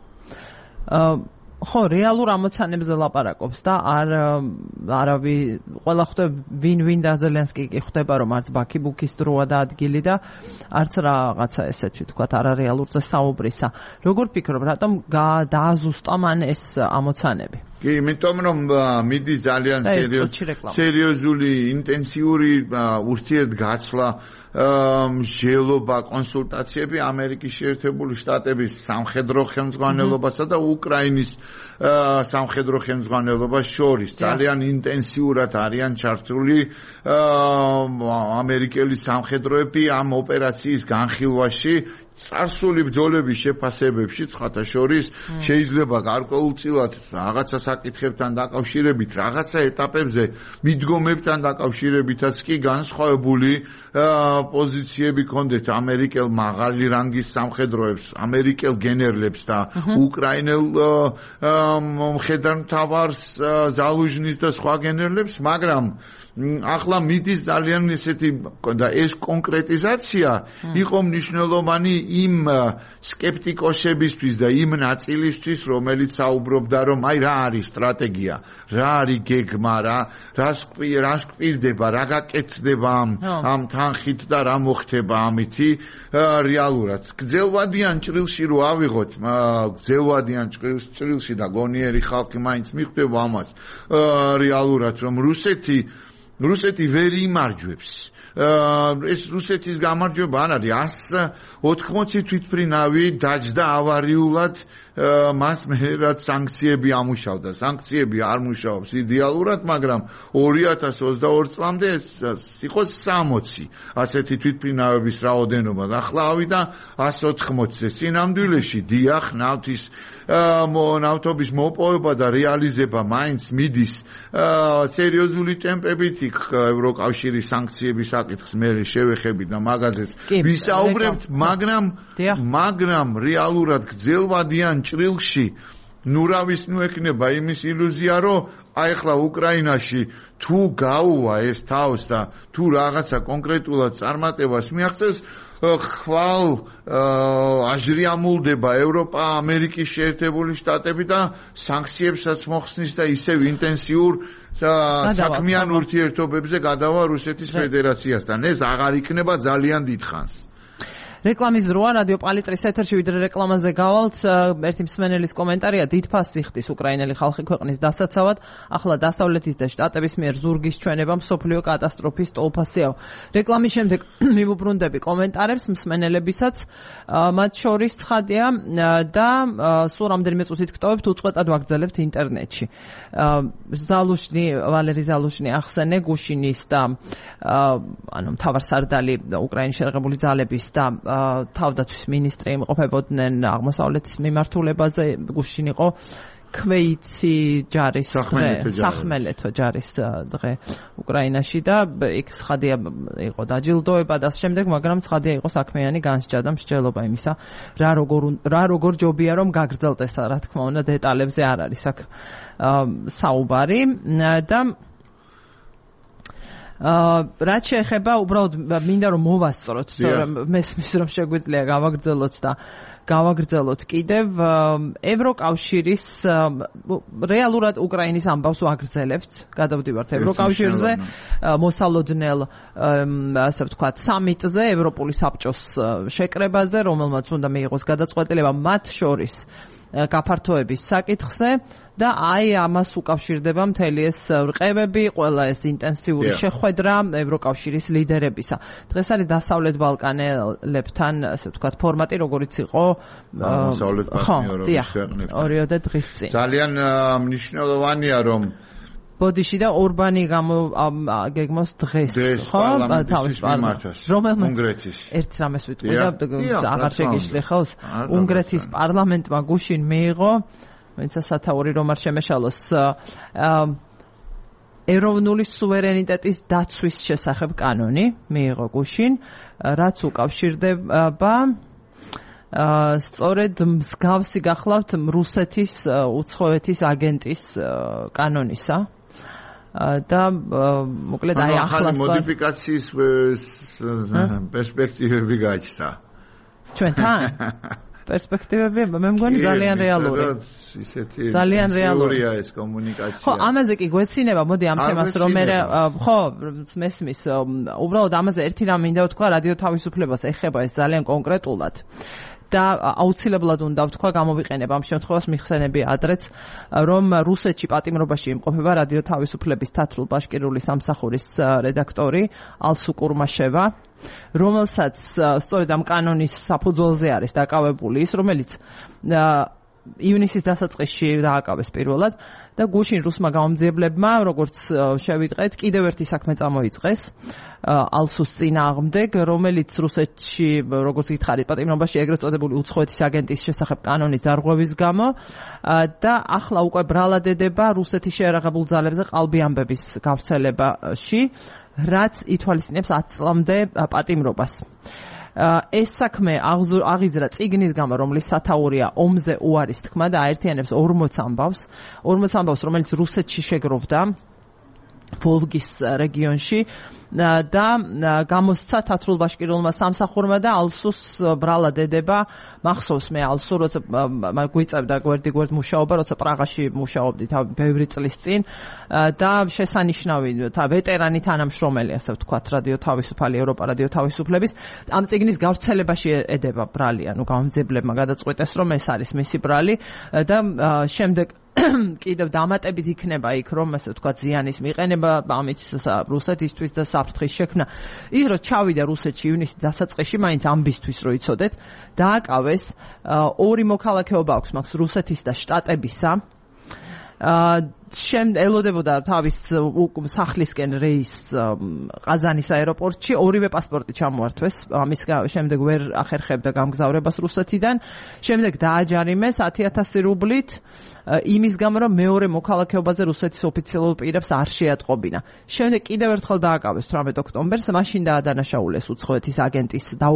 ხო, რეალურ ამოცანებზე ლაპარაკობს და არ არავი ყველა ხვდება ვინ-ვინ და ზელენსკი კი ხვდება, რომ არც ბაქიბუქის დროა და ადგილი და არც რაღაცა ესეთი თქვათ არარეალურზე საუბრისა. როგორ ფიქრობ, რატომ დააზუსტა მან ეს ამოცანები? კი, იმიტომ რომ მიდი ძალიან სერიოზული, ინტენსიური ურთიერთგაცვლა, მსჯელობა, კონსულტაციები ამერიკის შეერთებული შტატების სამხედრო ხელმძღვანელობასა და უკრაინის სამხედრო ხელმძღვანელობას შორის ძალიან ინტენსიურად არიან ჩართული ამერიკელი სამხედროები ამ ოპერაციის განხილვაში. წარსული ბრძოლების შეფასებებში ცხათა შორის შეიძლება გარკვეულწილად რაღაცა საკითხებთან დაკავშირებით, რაღაცა ეტაპებზე მიდგომებთან დაკავშირებითაც კი განსხვავებული პოზიციები ქონდეთ ამერიკელ მაღალი რანგის სამხედროებს, ამერიკელ გენერლებს და უკრაინელ მხედართმთავარს, ზალუჟნის და სხვა გენერლებს, მაგრამ ახლა მიდის ძალიან ესეთი და ეს კონკრეტიზაცია იყო მნიშვნელოვანი იმ სკეპტიკოსებისთვის და იმ ნაწილისთვის, რომელიც საუბრობდა, რომ აი რა არის სტრატეგია, რა არის გეგმა, რა რას გვპირდება, რა გაკეთდება ამ თანხით და რა მოხდება ამითი რეალურად. გძელვადიან ჭრილში რო ავიღოთ, გძელვადიან ჭრილში და გონიერი ხალხი მაინც მიხვდება ამას რეალურად რომ რუსეთი რუსეთი ვერ იმარჯვებს ეს რუსეთის გამარჯვება არ არის one eighty თვითმფრინავი დაჯდა ავარიულად მას მე რაც სანქციები ამუშავდა სანქციები არ მუშაობს იდეალურად მაგრამ two thousand twenty-two წლამდე იყო sixty ასეთი თვითმფრინავების რაოდენობა და ახლა ავიდა one eighty-ზე სინამდვილეში დიახ ნავთის ნავთობის მოპოვება და რეალიზება მაინც მიდის სერიოზული ტემპებით იქ ევროკავშირის სანქციების საკითხს მე შევეხები და მაგაზეც ვისაუბრებთ მაგრამ მაგრამ რეალურად გრძელვადიან ჭრილში ნუ რავის ნუ ექნება იმის ილუზია რომ აი ახლა უკრაინაში თუ გაუვა ეს თავს და თუ რაღაცა კონკრეტულად წარმატებას მიაღწევს ხვალ აჟრიამულდება ევროპა ამერიკის შეერთებული შტატები და სანქციებსაც მოხსნის და ისევ ინტენსიურ საქმიან ურთიერთობებზე გადავა რუსეთის ფედერაციასთან ეს აღარ იქნება ძალიან დიდხანს რეკლამის დროა რადიო პალიტრის ეთერში ვიდრე რეკლამაზე გავალთ ერთი მსმენელის კომენტარია დიდფას იხდის უკრაინელი ხალხი ქვეყნის დასაცავად ახლა დასავლეთის და შტატების მიერ ზურგის ჩვენება მსოფლიო კატასტროფის ტოლფასიაო რეკლამის შემდეგ მივუბრუნდები კომენტარებს მსმენელებისაც მათ შორის ცხადია და სულ რამდენიმე წუთით გტოვებთ უწყვეტად ვაგრძელებთ ინტერნეტში ზალუშნი ვალერი ზალუშნი ახსენე გუშინის და ანუ მთავარსარდალი უკრაინის შერღებული ძალების და თავდაცვის მინისტრი იმყოფებოდნენ აღმოსავლეთის მიმართულებაზე გუშინ იყო კვეიცი ჯარის სახმელეთო ჯარის დღე უკრაინაში და იქ ცხადია იყო დაჯილდოება და შემდეგ მაგრამ ცხადია იყო საქმიანი განსჯა და მსჯელობა იმისა რა როგორ რა როგორ ჯობია რომ გაგრძელდეს რა თქმა უნდა დეტალებზე არ არის აქ საუბარი და რაც შეეხება უბრალოდ მინდა რომ მოვასწროთ რომ მესმის რომ შეგვიძლია გავაგრძელოთ და გავაგრძელოთ კიდევ ევროკავშირის რეალურად უკრაინის ამბავს ვაგრძელებთ გადავდივართ ევროკავშირზე მოსალოდნელ ასე ვთქვათ სამიტზე ევროპული საბჭოს შეკრებაზე რომელმაც უნდა მიიღოს გადაწყვეტილება მათ შორის გაფართოების საკითხზე და აი ამას უკავშირდება მთელი ეს რყევები, ყველა ეს ინტენსიური შეხვედრა ევროკავშირის ლიდერებისა. დღეს არის დასავლეთ ბალკანელებთან, ასე ვთქვათ, ფორმატი, როგორც იყო დასავლეთ პარტნიორობის ქვეყნებთან. ორიოდე დღის წინ. ძალიან მნიშვნელოვანია, რომ ბოდიში და ორბანი გეგმოს დღეს, ხო? თავის პარლამენტის უნგრეთის ერთ რამეს ვიტყვი და აღარ შეგიშლი ხავს. უნგრეთის პარლამენტმა გუშინ მიიღო ვინცა სათაური რომ არ შემეშალოს ეროვნული სუვერენიტეტის დაცვის შესახებ კანონი მიიღო გუშინ, რაც უკავშირდება სწორედ მსგავსი გახლავთ რუსეთის უცხოეთის აგენტის კანონისა და მოკლედ აი ახლა მოდიფიკაციის პერსპექტივები გაჩნდა ჩვენთან პერსპექტივები მე მგონი ძალიან რეალური ძალიან რეალურია ეს კომუნიკაცია ხო ამაზე კი გვეცინება მოდი ამ თემას რომ მე ხო მესმის უბრალოდ ამაზე ერთი რამ მინდა ვთქვა რადიო თავისუფლებას ეხება ეს ძალიან კონკრეტულად და აუცილებლად უნდა ვთქვა გამოვიყენებ ამ შემთხვევას მიხსენები ადრეც რომ რუსეთში პატიმრობაში იმყოფება რადიო თავისუფლების თათრულ-ბაშკირული სამსახურის რედაქტორი ალსუ კურმაშევა რომელსაც სწორედ ამ კანონის საფუძველზე არის დაკავებული ის რომელიც ივნისის დასაწყისში დააკავეს პირველად და გუშინ რუსმა გამომძიებლებმა როგორც შევიტყეთ კიდევ ერთი საქმე წამოიწყეს ალსუს წინააღმდეგ რომელიც რუსეთში როგორც გითხარით პატიმრობაში ეგრეთ წოდებული უცხოეთის აგენტის შესახებ კანონის დარღვევის გამო და ახლა უკვე ბრალადედება რუსეთის შეერაღებულ ძალებზე ყალბი ამბების გავრცელებაში რაც ითვალისწინებს ათი წლამდე პატიმრობას ეს საქმე აღიძრა წიგნის გამო რომლის სათაურია ომზე უარის თქმა და აერთიანებს ორმოც ამბავს ორმოც ამბავს რომელიც რუსეთში შეგროვდა ვოლგის რეგიონში და გამოსცა თათრულ-ბაშკირულმა სამსახურმა და ალსუს ბრალადედება მახსოვს მე ალსუ როცა გვიწევდა გვერდი გვერდ მუშაობა როცა პრაღაში მუშაობდი ბევრი წლის წინ და შესანიშნავი ვეტერანი თანამშრომელი ასე ვთქვათ რადიო თავისუფალი ევროპა რადიო თავისუფლების ამ წიგნის გავრცელებაში ედება ბრალი ანუ გამომძიებლებმა გადაწყვიტეს რომ ეს არის მისი ბრალი და შემდეგ კიდევ დამატებით იქნება იქ რომ ასე ვთქვათ ზიანის მიყენება ამით რუსეთისთვის და საფრთხის შექმნა. ის რომ ჩავიდა რუსეთში ივნისის დასაწყისში მაინც ამბისთვის რო იცოდეთ დააკავეს ორი მოქალაქეობა აქვს მაგს რუსეთის და შტატებისა. შემ ელოდებოდა თავის სახლისკენ რეისს ყაზანის აეროპორტში ორივე პასპორტი ჩამოართვეს ამის შემდეგ ვერ ახერხებდა გამგზავრებას რუსეთიდან შემდეგ დააჯარიმეს ათი ათასი რუბლით იმის გამო რომ მეორე მოქალაქეობაზე რუსეთის ოფიციალურ პირებს არ შეატყობინა შემდეგ კიდევ ერთხელ დააკავეს თვრამეტ ოქტომბერს მაშინ დაადანაშაულეს უცხოეთის აგენტის და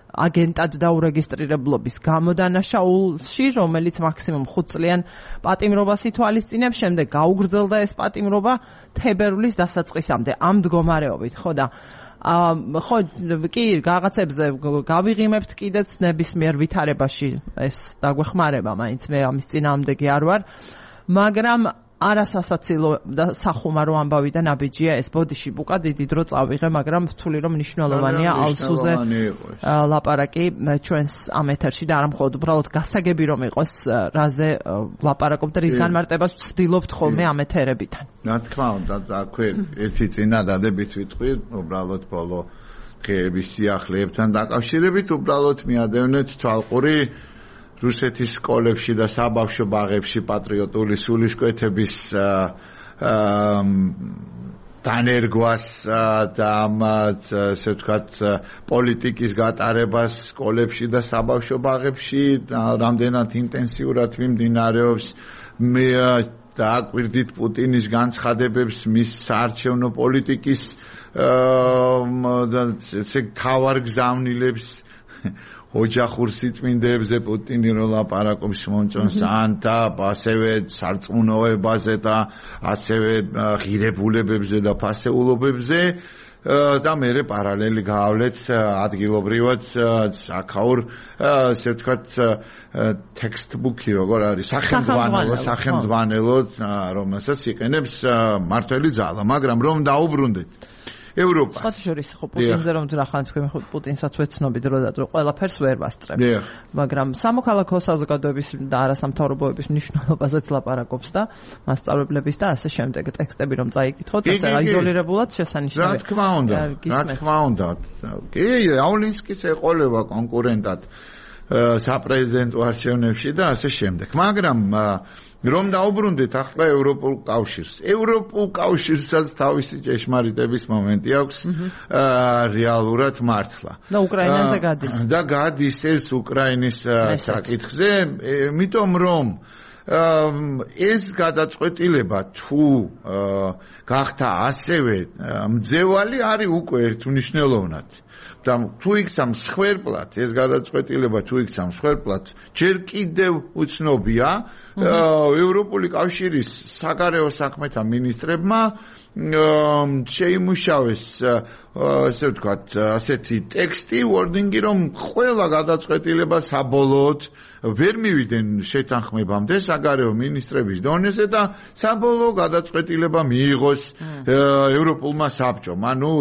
აგენტად დაურეგისტრირებლობის გამოდანაშაულში რომელიც მაქსიმუმ ხუთ წლიან პატიმრობას ითვალისწინებს შემდეგ გაუგრძელდა ეს პატიმრობა თებერვლის დასაწყისამდე ამ მდგომარეობით ხო და ხო კი რაღაცებზე გავიღიმებთ კიდეც ნებისმიერ ვითარებაში ეს დაგვეხმარება მაინც მე ამის წინააღმდეგი არ ვარ მაგრამ არასასაცილო და სახუმარო ამბავი და ნაბიჯია ეს ბოდიში ბუკა დიდი დრო წავიღე მაგრამ ვთვლი რომ მნიშვნელოვანია ალსუზე ლაპარაკი ჩვენს ამ ეთერში და არა მხოლოდ უბრალოდ გასაგები რომ იყოს რაზე ლაპარაკობ და რის განმარტებას ვცდილობთ ხოლმე ამ ეთერებიდან რა თქმა უნდა აქვე ერთი წინადადებით ვიტყვი უბრალოდ ბოლო დღეების სიახლეებთან დაკავშირებით უბრალოდ მიადევნეთ თვალყური რუსეთის სკოლებში და საბავშვო ბაღებში პატრიოტული სულისკვეთების დანერგვას და ამ ასე ვთქვათ პოლიტიკის გატარებას სკოლებში და საბავშვო ბაღებში რამდენად ინტენსიურად მიმდინარეობს მე დააკვირდით პუტინის განცხადებებს მის საარჩევნო პოლიტიკის ესე თავარ გზავნილებს ოჯახურ სიწმინდეებზე პუტინი რო ლაპარაკობს მომწონს ანთა ასევე სარწმუნოებაზე და ასევე ღირებულებებზე და ფასეულობებზე და მე პარალელი გავავლეთ ადგილობრივად აქაურ ასე ვთქვათ ტექსტბუქი როგორ არის სახელმძღვანელო სახელმძღვანელო რომელსაც იყენებს მართველი ძალა მაგრამ რომ დაუბრუნდეთ ევროპას. სხვა შორის ხო პუტინზე რომ ძრახან თქვენ ხო პუტინსაც ვეცნობით რო და ყველაფერს ვერ ვასწრებ. მაგრამ სამოქალაქო საზოგადოების და არასამთავრობოების მნიშვნელობაზეც ლაპარაკობს და მასწავლებლების და ასე შემდეგ ტექსტები რომ წაიკითხოთ, ასე აიზოლირებულად შესანიშნავია. რა თქმა უნდა, რა თქმა უნდა. კი, აულინსკის ეყოლება კონკურენტად საპრეზიდენტო არჩევნებში და ასე შემდეგ. მაგრამ რომ დაუბრუნდეთ ახლა ევროპულ კავშირს. ევროპულ კავშირსაც თავისი ჭეშმარიტების მომენტი აქვს რეალურად მართლა. და უკრაინაზე გადის. და გადის ეს უკრაინის საკითხზე, იმიტომ რომ ეს გადაწყვეტილება თუ გახდა ასევე მძევალი არის უკვე ერთმნიშვნელოვნად. და თუ იქცა მსხვერპლად ეს გადაწყვეტილება თუ იქცა მსხვერპლად ჯერ კიდევ უცნობია ევროპული კავშირის საგარეო საქმეთა მინისტრებმა შეიმუშავეს ასე ვთქვათ ასეთი ტექსტი wording-ი რომ ყველა გადაწყვეტილება საბოლოოდ ვერ მივიდნენ შეთანხმებამდე საგარეო მინისტრების დონეზე და საბოლოო გადაწყვეტილება მიიღოს ევროპულმა საბჭომ ანუ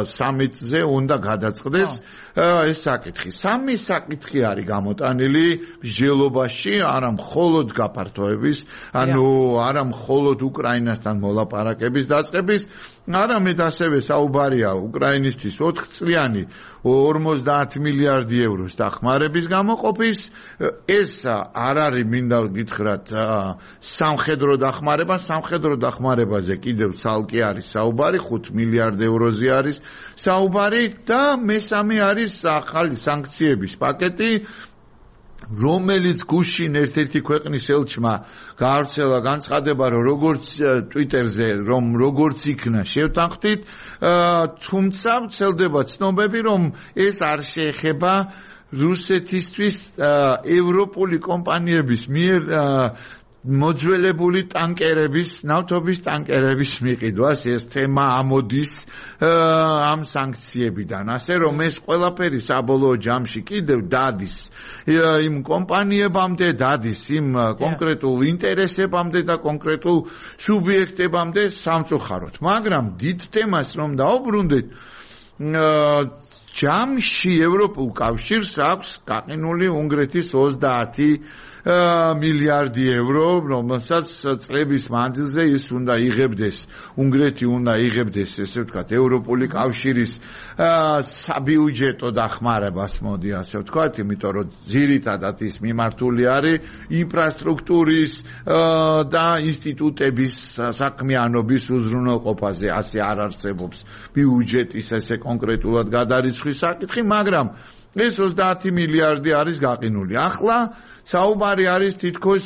სამიტზე უნდა გადაწყდეს ეს საკითხი სამი საკითხი არის გამოტანილი მსჯელობაში არა მხოლოდ გაფართოების ანუ არა მხოლოდ უკრაინასთან მოლაპარაკების დაწყების არამედ ასევე საუბარია უკრაინისთვის ოთხ წლიანი ორმოცდაათი მილიარდი ევროს დახმარების გამოყოფის ეს არ არის მინდა გითხრათ სამხედრო დახმარება სამხედრო დახმარებაზე კიდევ ცალკე არის საუბარი ხუთ მილიარდ ევროზე არის საუბარი და მესამე არის ახალი სანქციების პაკეტი რომელიც გუშინ ერთ-ერთი ქვეყნის ელჩმა გაავრცელა განცხადება რომ როგორც ტვიტერზე რომ როგორც იქნა შევთანხმდით თუმცა ვრცელდება ცნობები რომ ეს არ შეეხება რუსეთისთვის ევროპული კომპანიების მიერ მოძველებული ტანკერების, ნავთობის ტანკერების მიყიდვას ეს თემა ამოდის ამ სანქციებიდან. ასე რომ ეს ყველაფერი საბოლოო ჯამში კიდევ დადის იმ კომპანიებამდე, დადის იმ კონკრეტულ ინტერესებამდე და კონკრეტულ სუბიექტებამდე სამწუხაროდ. მაგრამ დიდ თემას რომ დაუბრუნდეთ, ჯამში ევროპულ კავშირს აქვს გაყინული უნგრეთის ოცდაათი მილიარდი евро, რომელსაც წლების მანძილზე ის უნდა იღებდეს, უნგრეთი უნდა იღებდეს, ესე ვთქვათ, ევროპული კავშირის საბიუჯეტო დახმარებას, მოდი ასე ვთქვათ, იმიტომ რომ ძირითადად ის მიმართული არის ინფრასტრუქტურის და ინსტიტუტების საქმიანობის უზრუნველყოფაზე, ასე არ არსებობს ბიუჯეტის ესე კონკრეტულად გადარიცხვის საკითხი, მაგრამ ეს ოცდაათი მილიარდი არის გაყინული. ახლა საუბარი არის თითქოს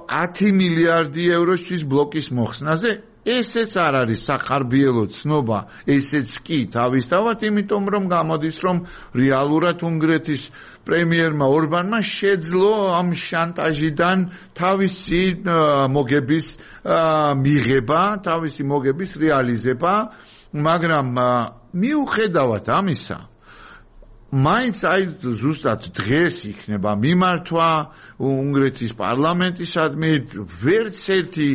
ათი მილიარდი ევროს ბლოკის მოხსნაზე. ესეც არ არის სახარბიელო ცნობა, ესეც კი თავისთავად, იმიტომ რომ გამოდის, რომ რეალურად უნგრეთის პრემიერმა ორბანმა შეძლო ამ შანტაჟიდან თავისი მოგების მიღება, თავისი მოგების რეალიზება, მაგრამ მიუხედავად ამისა, მაინც აი ზუსტად დღეს იქნება მიმართვა უნგრეთის პარლამენტისადმი, ვერც ერთი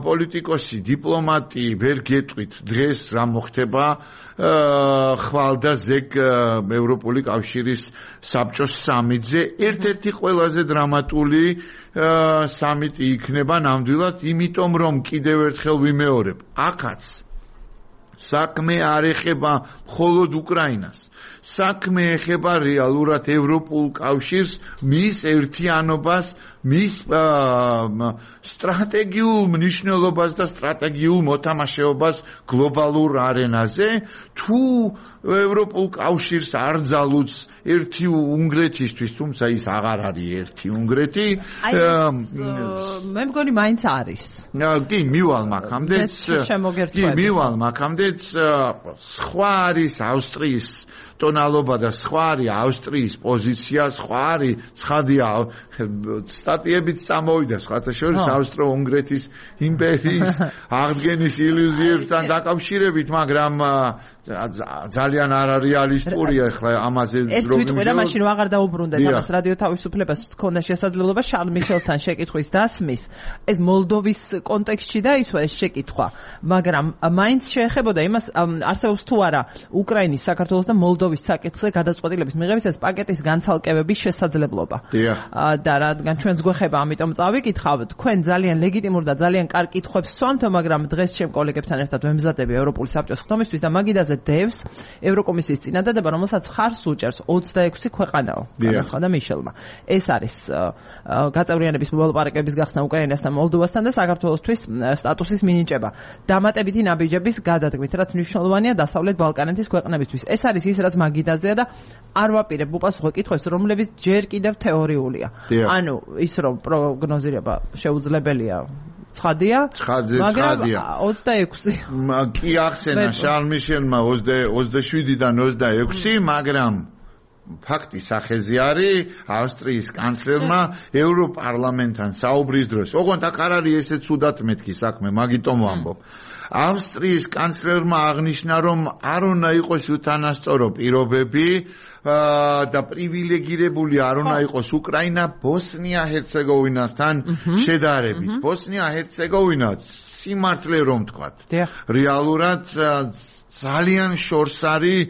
პოლიტიკოსი, დიპლომატი ვერ გეტყვით დღეს რა მოხდება ხვალ და ზეგ ევროპული კავშირის საბჭოს სამიტზე. ერთ-ერთი ყველაზე დრამატული სამიტი იქნება ნამდვილად, იმიტომ რომ კიდევ ერთხელ ვიმეორებ, აქაც საქმე არ ეხება მხოლოდ უკრაინას. საქმე ეხება რეალურად ევროპულ კავშირს, მის ერთიანობას, მის სტრატეგიულ მნიშვნელობას და სტრატეგიულ მოთამაშეობას გლობალურ არენაზე. თუ ევროპულ კავშირს არ ძალუც ერთი უნგრეთისთვის, თუმცა ის აღარ არის ერთი უნგრეთი. მე მგონი მაინც არის. კი, მივალ მაქამდეც. კი, მივალ მაქამდეც სხვა არის ავსტრიის ტონალობა და სხვა არის ავსტრიის პოზიცია, სხვა არის ცხადია სტატიებიც წამოვიდა სხვათა შორის ავსტრო-უნგრეთის იმპერიის აღდგენის ილუზიებთან დაკავშირებით, მაგრამ ძალიან არარეალისტურია ახლა ამაზე რომ ეს ვიტყვი რა მაშინ აღარ დაუბრუნდეთ ამას რადიო თავისუფლებას ქონდა შესაძლებლობა შარლ მიშელთან შეკითხვის დასმის ეს მოლდოვის კონტექსტში დაისვა ეს შეკითხვა, მაგრამ მაინც შეეხებოდა იმას არსებობს თუ არა უკრაინის, საქართველოს და მოლდოვის საკითხზე გადაწყვეტილების მიღების ეს პაკეტის განცალკევების შესაძლებლობა. და რადგან ჩვენს გვეხება, ამიტომ წავიკითხავ, თქვენ ძალიან ლეგიტიმურ და ძალიან კარგ კითხვებს სვამთ, მაგრამ დღეს ჩემ კოლეგებთან ერთად ვემზადები ევროპული საბჭოს ხდომისთვის და მაგიდაზე დევს ევროკომისიის წინადადება, რომელსაც ხარს უჭერს ოცდაექვსი ქვეყანაო. განაცხადა მიშელმა. ეს არის გაწევრიანების მოლაპარაკებების გახსნა უკრაინასთან, მოლდოვასთან და საქართველოსთვის სტატუსის მინიჭება. დამატებითი ნაბიჯების გადადგმით, რაც მნიშვნელოვანია დასავლეთ ბალკანეთის ქვეყნებისთვის. ეს არის ის, რაც მაგიდაზეა და არ ვაპირებ უპასუხო კითხვებს, რომლებიც ჯერ კიდევ თეორიულია. ანუ ის რომ პროგნოზირება შეუძლებელია ცხადია, მაგრამ ოცდაექვსი. კი ახსენა შარლ მიშელმა ოცდაშვიდიდან ოცდაექვსი, მაგრამ ფაქტი სახეზე არის ავსტრიის კანცლერმა ევროპარლამენტთან საუბრის დროს. ოღონდ აქ არ არის ესე ცუდად მეთქი საქმე, მაგიტომ ვამბობ. ავსტრიის კანცლერმა აღნიშნა, რომ არ უნდა იყოს უთანასწორო პირობები და პრივილეგირებული არ უნდა იყოს უკრაინა ბოსნია-ჰერცეგოვინასთან შედარებით. ბოსნია-ჰერცეგოვინა სიმართლე რომ ვთქვათ, რეალურად ძალიან შორს არის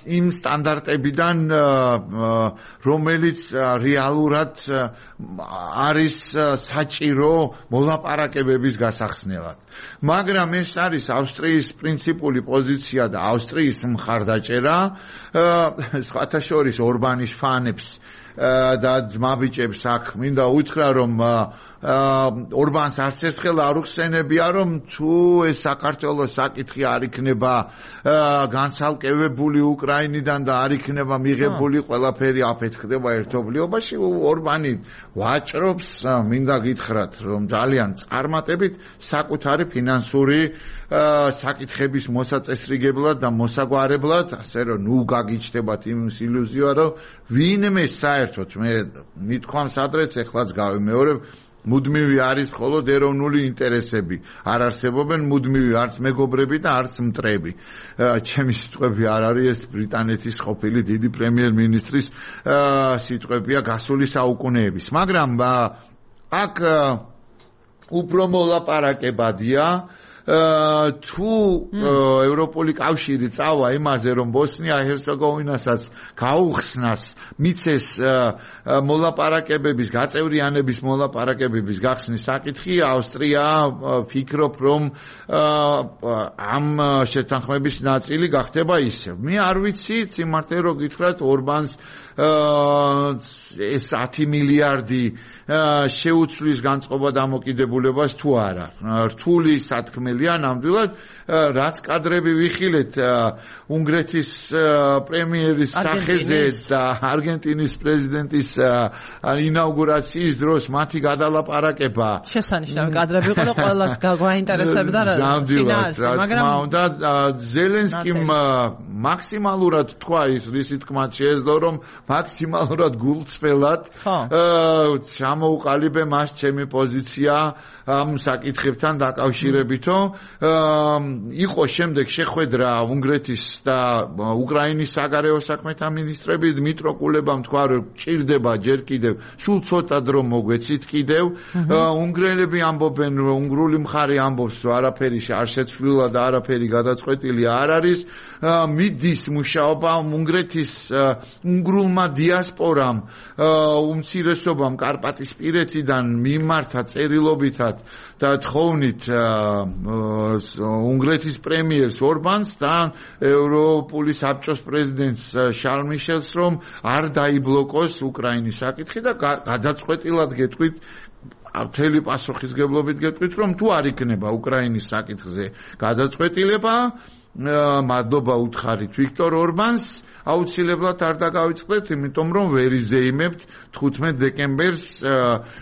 იმ სტანდარტებიდან, რომელიც რეალურად არის საჭირო მოლაპარაკებების გასახსნელად. მაგრამ ეს არის ავსტრიის პრინციპული პოზიცია და ავსტრიის მხარდაჭერა, სხვათა შორის ორბანის ფანებს და ძმაბიჭებს აქ მინდა უთხრა, რომ ორბანს არც ერთხელ არ უხსენებია, რომ თუ ეს საქართველოს საკითხი არ იქნება განცალკევებული უკრაინიდან და არ იქნება მიღებული ყველაფერი აფეთქდება ერთობლიობაში, ორბანი ვაჭრობს, მინდა გითხრათ, რომ ძალიან წარმატებით საკუთარი ფინანსური საკითხების მოსაწესრიგებლად და მოსაგვარებლად, ასე რომ ნუ გაგიჩნდებათ იმის ილუზია, რომ ვინმე საერთოდ მე მithქვამს ადრეც ეხლაც გავიმეორებ, მუდმივი არის მხოლოდ ეროვნული ინტერესები. არ არსებობენ მუდმივი არც მეგობრები და არც მტრები. ჩემი სიტყვები არ არის, ეს ბრიტანეთის ყოფილი დიდი პრემიერ-მინისტრის სიტყვებია გასული საუკუნეების. მაგრამ აქ უფრო მოლაპარაკებადია თუ ევროპული კავშირი წავა იმაზე, რომ ბოსნია-ჰერცეგოვინასაც გაუხსნას, მიცეს მოლაპარაკებების, გაწევრიანების მოლაპარაკებების გახსნის საკითხი, ავსტრია ფიქრობ, რომ ამ შეთანხმების ნაწილი გახდება ისევ. მე არ ვიცი, სიმართლე რო გითხრათ, ორბანს ეს ათი მილიარდი შეუცვლის განწყობა დამოკიდებულებას თუ არა. რთული სათქმელია ნამდვილად, რაც კადრები ვიხილეთ უნგრეთის პრემიერის სახეზე და არგენტინის პრეზიდენტის ინაუგურაციის დროს მათი გადალაპარაკება. შესანიშნავი კადრები იყო და ყველას გაინტერესებდა რა ფინანსი, მაგრამ და ზელენსკიმ მაქსიმალურად თქვა ის, რისი თქმაც შეეძლო, რომ მაქსიმალურად გულწრფელად ჩამოუყალიბე მას ჩემი პოზიცია ამ საკითხებთან დაკავშირებითო. იყო შემდეგ შეხვედრა უნგრეთის და უკრაინის საგარეო საქმეთა მინისტრები, დმიტრო კულებამ თქვა, რომ ჭირდება ჯერ კიდევ სულ ცოტა დრო მოგვეცით კიდევ. უნგრელები ამბობენ, რომ უნგრული მხარე ამბობს, რომ არაფერი არ შეცვლილა და არაფერი გადაწყვეტილი არ არის. მიდის მუშაობა უნგრეთის უნგრულმა დიასპორამ, უმცირესობამ კარპატისპირეთიდან მიმართა წერილობითად და თხოვნით უნგრეთის პრემიერს ორბანს და ევროპული საბჭოს პრეზიდენტს შარლ მიშელს, რომ არ დაიბლოკოს უკრაინის საკითხი და გადაწყვეტილად გეტყვით, მთელი პასუხისგებლობით გეტყვით, რომ თუ არ იქნება უკრაინის საკითხზე გადაწყვეტილება, მადლობა უთხარით ვიქტორ ორბანს, აუცილებლად არ დაგავიწყდეთ, იმიტომ რომ ვერ იზეიმებთ თხუთმეტ დეკემბერს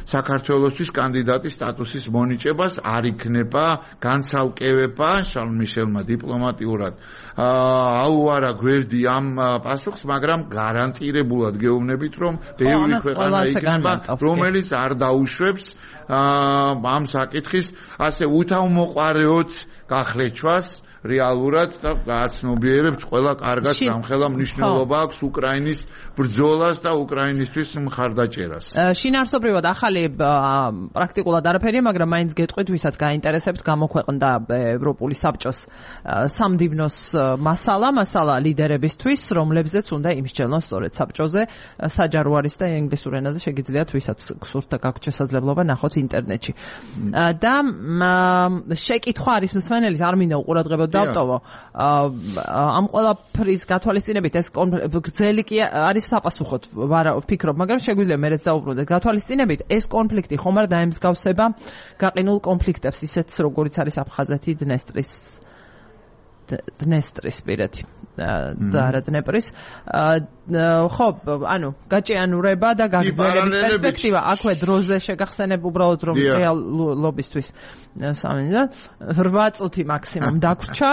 საქართველოსთვის კანდიდატის სტატუსის მონიჭებას, არ იქნება განცალკევება შარლ მიშელმა დიპლომატიურად აუარა გვერდი ამ პასუხს, მაგრამ გარანტირებულად გეუბნებით, რომ ბევრი ქვეყანა იქნება, რომელიც არ დაუშვებს ამ საკითხის ასე უთავმოყარეოდ გახლეჩვას რეალურად და გააცნობიერებთ ყველა კარგად გამხელა მნიშვნელობა აქვს უკრაინის ბრძოლას და უკრაინისთვის მხარდაჭერას. შინაარსობრივად ახალი პრაქტიკულად არაფერია, მაგრამ მაინც გეტყვით, ვისაც გაინტერესებთ, გამოქვეყნდა ევროპული საბჭოს სამდივნოს მასალა, მასალა ლიდერებისთვის, რომლებზეც უნდა იმსჯელონ სწორედ საბჭოზე, საჯარო არის და ინგლისურ ენაზე შეგიძლიათ, ვისაც გსურთ და გაქვთ შესაძლებლობა ნახოთ ინტერნეტში. და შეკითხვა არის მსმენელის, არ მინდა უყურადღებოდ დავტოვო. ამ ყველაფრის გათვალისწინებით ეს გრძელი კი არის საპასუხოდ ვფიქრობ, მაგრამ შეგვიძლია მეც დავუბრუნდეთ. გათვალისწინებით ეს კონფლიქტი ხომ არ დაემსგავსება გაყინულ კონფლიქტებს, ისეთ როგორიც არის აფხაზეთი, დნესტრის დნესტრის პირეთი და არა დნეპრის. ხო, ანუ გაჭიანურება და გაგრძელების პერსპექტივა აქვე დროზე შეგახსენებ უბრალოდ რომ რეალობისთვის სამინდა რვა წუთი მაქსიმუმ დაგვრჩა.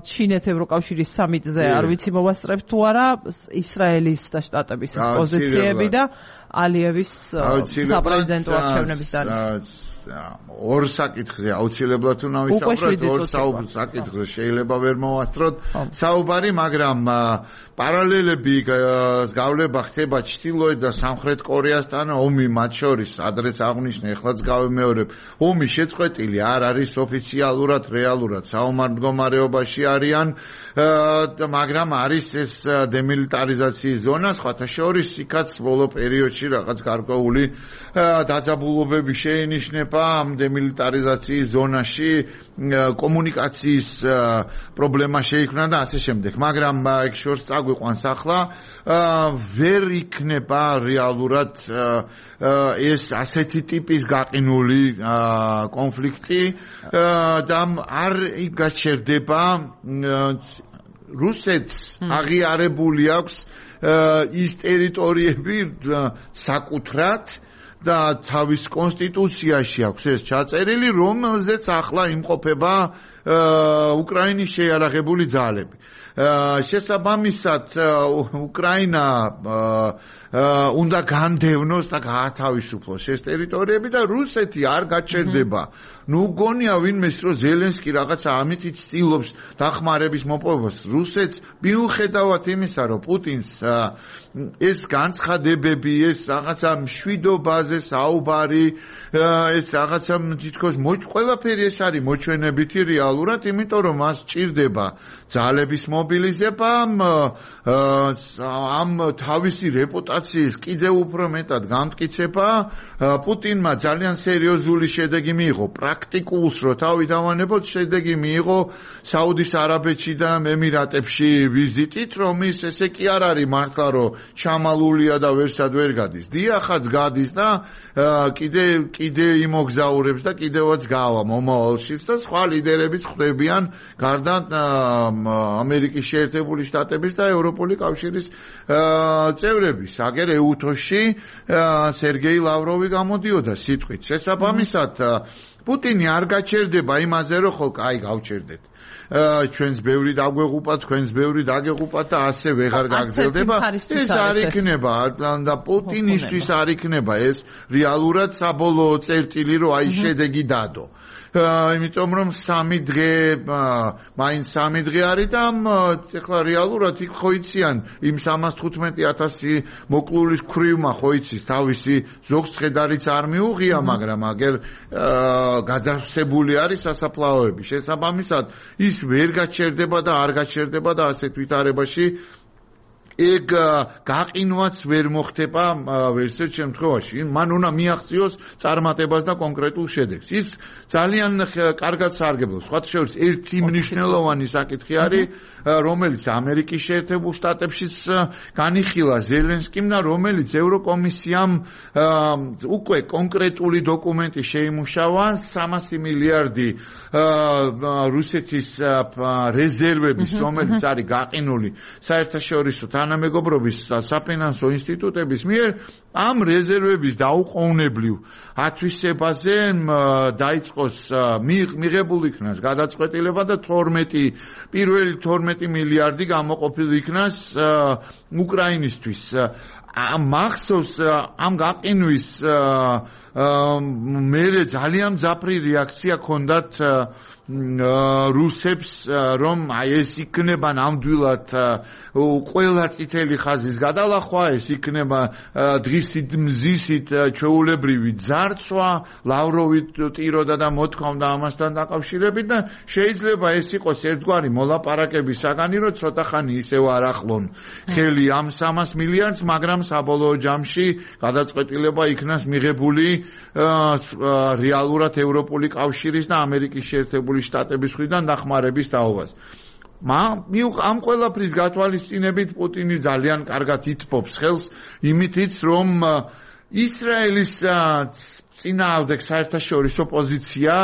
ჩინეთ ევროკავშირის სამიტზე არ ვიცი მოვასწრებთ თუ არა ისრაელის და შტატების პოზიციები და ალიევის საპრეზიდენტო არჩევნების დანიშნულება. ორ საკითხზე აუცილებლად უნდა ვისაუბროთ, ორ საკითხზე შეიძლება ვერ მოვასწროთ საუბარი, მაგრამ პარალელები გავლება ხდება ჩრდილოეთ და სამხრეთ კორეასთან, ომი მათ შორის, ადრეც აღნიშნე, ეხლაც გავიმეორებ, ომი შეწყვეტილი არ არის ოფიციალურად, რეალურად საომარ მდგომარეობაში არიან, მაგრამ არის ეს დემილიტარიზაციის ზონა, სხვათა შორის იქაც ბოლო პერიოდში რაღაც გარკვეული დაძაბულობები შეინიშნება ამ დემილიტარიზაციის ზონაში, კომუნიკაციის პრობლემა შეიქმნა და ასე შემდეგ, მაგრამ ეგ შორს წაგვიყვანს ახლა, ვერ იქნება რეალურად ეს ასეთი ტიპის გაყინული კონფლიქტი და არ გაჩერდება რუსეთს აღიარებული აქვს ის ტერიტორიები საკუთრად და თავის კონსტიტუციაში აქვს ეს ჩაწერილი, რომელზეც ახლა იმყოფება უკრაინის შეიარაღებული ძალები. შესაბამისად უკრაინა უნდა განდევნოს და გაათავისუფლოს ეს ტერიტორიები და რუსეთი არ გაჩერდება. ნუ გონია ვინმეს რომ ზელენსკი რაღაცა ამით ცდილობს დახმარების მოპოვებას. რუსეთს მიუხედავად იმისა რომ პუტინს ეს განცხადებები, ეს რაღაცა მშვიდობაზე საუბარი, ეს რაღაცა თითქოს ყველაფერი ეს არის მოჩვენებითი რეალურად, იმიტომ რომ მას ჭირდება ძალების მობილიზება, ამ თავისი რეპუტაციის კიდევ უფრო მეტად გამტკიცება. პუტინმა ძალიან სერიოზული შედეგი მიიღო, პრაქტიკულს რო თავი დავანებოთ, შედეგი მიიღო საუდის არაბეთში და ემირატებში ვიზიტით, რომ ის ესე კი არ არის მართლა რომ ჩამალულია და ვერსად ვერ გადის. დიახაც გადის და კიდე კიდე იმოგზაურებს და კიდევაც გავა მომავალშიც და სხვა ლიდერებიც ხვდებიან გარდა ამერიკის შეერთებული შტატების და ევროპული კავშირის წევრების. აგერ ეუთოში სერგეი ლავროვი გამოდიოდა სიტყვით. შესაბამისად პუტინი არ გაჩერდება იმაზე, რომ ხო, კაი, გავჩერდეთ. ჩვენს ბევრი დაგვეღუპა, თქვენს ბევრი დაგეღუპა და ასე ვეღარ გაგრძელდება. ეს არ იქნება და პუტინისთვის არ იქნება ეს რეალურად საბოლოო წერტილი, რომ აი შედეგი დადო. იმიტომ რომ სამი დღე მაინც სამი დღე არის და ეხლა რეალურად იქ ხო იციან იმ სამას თხუთმეტი ათასი მოკლულის ქვრივმა ხო იცის თავისი ზოგს ცხედარიც არ მიუღია, მაგრამ აგერ გადავსებული არის სასაფლაოები. შესაბამისად ის ვერ გაჩერდება და არ გაჩერდება და ასეთ ვითარებაში ეგ გაყინვაც ვერ მოხდება ვერსერთ შემთხვევაში. მან უნდა მიაღწიოს წარმატებას და კონკრეტულ შედეგს. ის ძალიან კარგად სარგებლობს. სხვათა შორის ერთი მნიშვნელოვანი საკითხი არის, რომელიც ამერიკის შეერთებულ შტატებშიც განიხილა ზელენსკიმ და რომელიც ევროკომისიამ უკვე კონკრეტული დოკუმენტი შეიმუშავა სამასი მილიარდი რუსეთის რეზერვების, რომელიც არის გაყინული საერთაშორისო თანამეგობრობის საფინანსო ინსტიტუტების მიერ ამ რეზერვების დაუყოვნებლივ ათვისებაზე დაიწყოს მიღებულ იქნას გადაწყვეტილება და თორმეტი პირველი თორმეტი მილიარდი გამოყოფილ იქნას უკრაინისთვის. მახსოვს ამ გაყინვის მერე ძალიან მძაფრი რეაქცია ჰქონდათ რუსებს, რომ აი ეს იქნება ნამდვილად ყველა წითელი ხაზის გადალახვა, ეს იქნება დღისით მზისით ჩვეულებრივი ძარცვა, ლავროვი ტიროდა და მოთქვამდა ამასთან დაკავშირებით და შეიძლება ეს იყოს ერთგვარი მოლაპარაკების საგანი, რომ ცოტა ხანი ისევ არ ახლონ ხელი ამ სამას მილიარდს, მაგრამ საბოლოო ჯამში გადაწყვეტილება იქნას მიღებული რეალურად ევროპული კავშირის და ამერიკის შეერთებული შტატების მხრიდან დახმარების თაობას. ამ ყველაფრის გათვალისწინებით პუტინი ძალიან კარგად ითბობს ხელს იმითიც, რომ ისრაელის წინააღმდეგ საერთაშორისო პოზიცია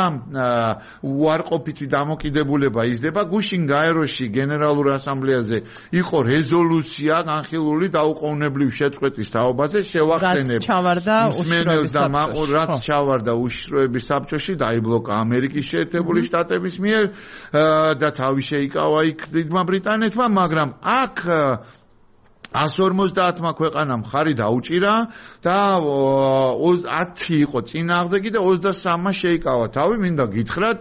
უარყოფითი დამოკიდებულება იზრდება. გუშინ გაეროში გენერალურ ასამბლეაზე იყო რეზოლუცია განხილული დაუყოვნებლივ შეწყვეტის თაობაზე. შევახსენებ მსმენელს და რაც ჩავარდა უშიშროების საბჭოში, დაიბლოკა ამერიკის შეერთებული შტატების მიერ და თავი შეიკავა იქ დიდმა ბრიტანეთმა, მაგრამ აქ εκατს ორმოცდაათმა ქვეყანამ ხარი დაუჭირა და ათი იყო წინააღმდეგი და ოცდასამმა შეიკავა თავი. მინდა გითხრათ,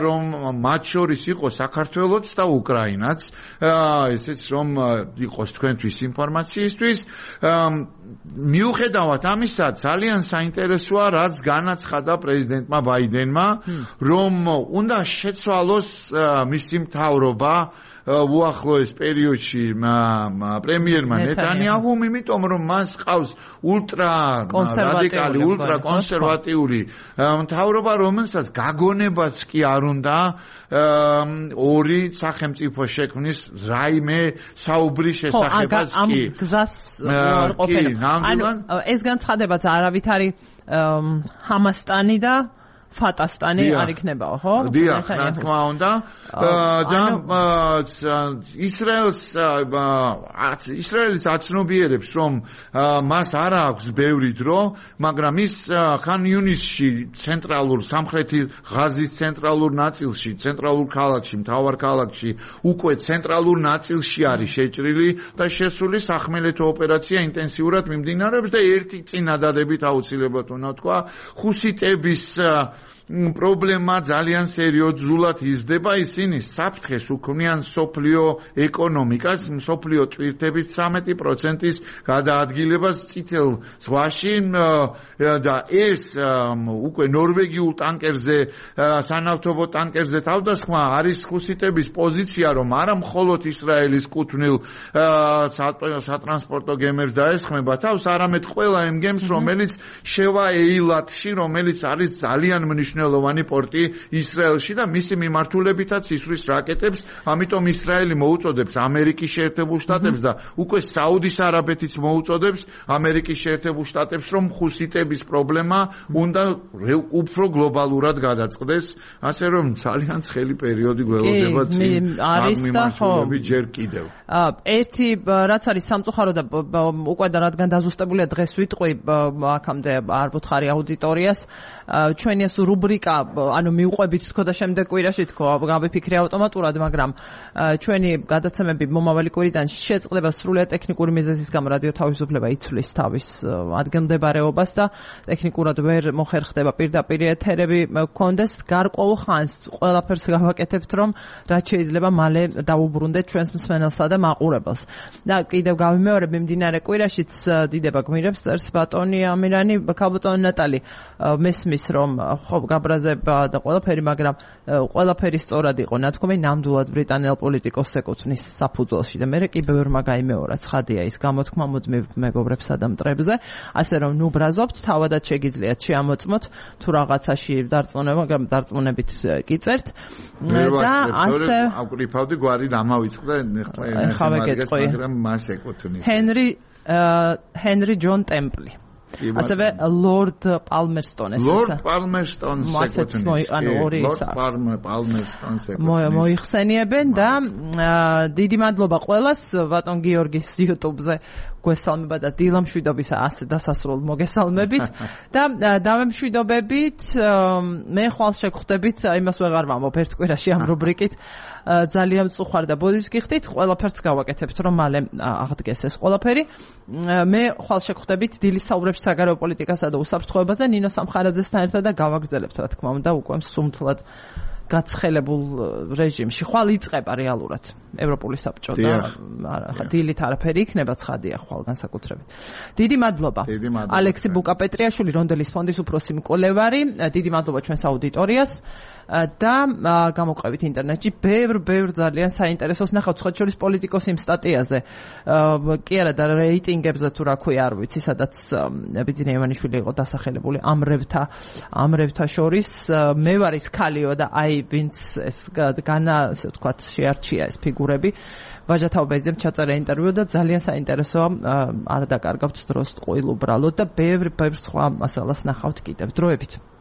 რომ მათ შორის იყო საქართველოც და უკრაინაც, ესეც რომ იყოს თქვენთვის ინფორმაციისთვის. მიუხედავად ამისა, ძალიან საინტერესოა, რაც განაცხადა პრეზიდენტმა ბაიდენმა, რომ უნდა შეცვალოს მისი მთავრობა უახლოეს პერიოდში პრემიერმა ნეტანიაჰუმ, იმიტომ რომ მას ყავს ულტრა რადიკალი, ულტრა კონსერვატიული მთავრობა, რომელსაც გაგონებაც კი არ უნდა ორი სახელმწიფო შექმნის რაიმე საუბრის შესახებაც კი. ამ გზას არ ყოფილა. ანუ ეს განცხადებაც არავით არის ჰამასტანი და ფატასტანი არ იქნებაო, ხო? დიახ, რა თქმა უნდა. და ისრაელს ისრაელის აცნობიერებს, რომ მას არ აქვს ბევრი დრო, მაგრამ ის ხან იუნისში ცენტრალურ სამხრეთი ღაზის ცენტრალურ ნაწილში, ცენტრალურ ქალაქში, მთავარ ქალაქში, უკვე ცენტრალურ ნაწილში არის შეჭრილი და შესული სახმელეთო ოპერაცია ინტენსიურად მიმდინარეობს და ერთი წინადადებით აუცილებლად უნდა თქვა, ხუსიტების პრობლემა ძალიან სერიოზულად იზრდება, ისინი საფრთხეს უქმნიან სოფლიო ეკონომიკას, სოფლიო ტვირთების ცამეტი პროცენტის გადაადგილებას წითელ ზღვაში და ეს უკვე ნორვეგიულ ტანკერზე, სანავთობო ტანკერზე თავდასხმა არის ხუსიტების პოზიცია, რომ არა მხოლოდ ისრაელის კუთვნილ სატრანსპორტო გემებს დაესხმება თავს, არამედ ყველა იმ გემს, რომელიც შევა ეილატში, რომელიც არის ძალიან მნიშვნელოვანი მნიშვნელოვანი პორტი ისრაელში და მისი მიმართულებითაც ისვრის რაკეტებს, ამიტომ ისრაელი მოუწოდებს ამერიკის შეერთებულ შტატებს და უკვე საუდის არაბეთიც მოუწოდებს ამერიკის შეერთებულ შტატებს, რომ ხუსიტების პრობლემა უნდა უფრო გლობალურად გადაწყდეს, ასე რომ ძალიან ცხელი პერიოდი გველოდება წინ ამ მიმართულებით ჯერ კიდევ. ერთი რაც არის სამწუხარო და უკვე და რადგან დაზუსტებულია დღეს ვიტყვი აქამდე არ ვუთხარი აუდიტორიას, ჩვენი ეს რუბრიკა, ანუ მიუყვებით თქო და შემდეგ კვირაში თქო, გავიფიქრე ავტომატურად, მაგრამ ჩვენი გადაცემები მომავალი კვირიდან შეწყდება სრულიად ტექნიკური მიზეზის გამო, რადიო თავისუფლება იცვლის თავის ადგილმდებარეობას და ტექნიკურად ვერ მოხერხდება პირდაპირ ეთერები გქონდეს. გარკვეულ ხანს ყველაფერს გავაკეთებთ, რომ რაც შეიძლება მალე დაუბრუნდეთ ჩვენს მსმენელსა და მაყურებელს. და კიდევ გავიმეორებ, მიმდინარე კვირაშიც დიდება გმირებს წერს ბატონი ამირანი, ქალბატონი ნატალი მესმის, რომ ხო გაბრაზება და ყველაფერი, მაგრამ ყველაფერი სწორად იყო ნათქვამი, ნამდვილად ბრიტანელ პოლიტიკოსს ეკუთვნის საფუძველში და მე კი ბევრმა გაიმეორა, ცხადია ის გამოთქმა მუდმივ მეგობრებსა და მტრებზე, ასე რომ ნუ ბრაზობთ, თავადაც შეგიძლიათ შეამოწმოთ თუ რაღაცაში დარწმუნება, დარწმუნებით კიწერთ და ასე აკვირიფავდი გვარი დამავიწყდა ეხლა მაგრამ მას ეკუთვნის ჰენრი ჰენრი ჯონ ტემპლი, ასევე ლორდ პალმერსტონი, ლორდ პალმერსტონს ეკუთვნის, ლორდ პალმერსტონს ეკუთვნის. მოიხსენიებენ და დიდი მადლობა ყველას, ბატონ გიორგის YouTube-ზე გვესალმება და დილა მშვიდობისა ასე დასასრულ მოგესალმებით და დავემშვიდობებით, მე ხვალ შეგხვდებით, იმას ვეღარ ვამბობ ერთ კვირაში ამ რუბრიკით, ძალიან მწუხარ და ბოდიშს გიხდით, ყველაფერს გავაკეთებთ, რომ მალე აღდგეს ეს ყველაფერი. მე ხვალ შეგხვდებით დილის საუბრებში საგარეო პოლიტიკასა და უსაფრთხოებას და ნინო სამხარაძესთან ერთად და გავაგრძელებთ, რა თქმა უნდა, უკვე სუმთლად გაცხელებულ რეჟიმში. ხვალ იწყება რეალურად ევროპული საბჭო და დილით არაფერი იქნება, ცხადია ხვალ განსაკუთრებით. დიდი მადლობა. ალექსი ბუკაპეტრიაშვილი, რონდელის ფონდის უფროსი მკვლევარი, დიდი მადლობა ჩვენს აუდიტორიას და გამოყევით ინტერნეტში ბევრ ბევრ ძალიან საინტერესოს ნახავთ, სხვა შორის პოლიტიკოს იმ სტატიაზე. კი არა და რეიტინგებზე თუ რა ქვია, არ ვიცი, სადაც ბიძინა ივანიშვილი იყო დასახელებული ამრევთა ამრევთა შორის. მე ვარ ის ქალიო და აი ვინც ეს განა, ასე ვთქვათ, შეარჩია ეს ფიგურები. ვაჟა თაუბეძემ ჩაწერა ინტერვიუ და ძალიან საინტერესოა, არ დაკარგავთ დროს ტყუილ უბრალოდ და ბევრ ბევრ სხვა მასალას ნახავთ კიდევ დროებით.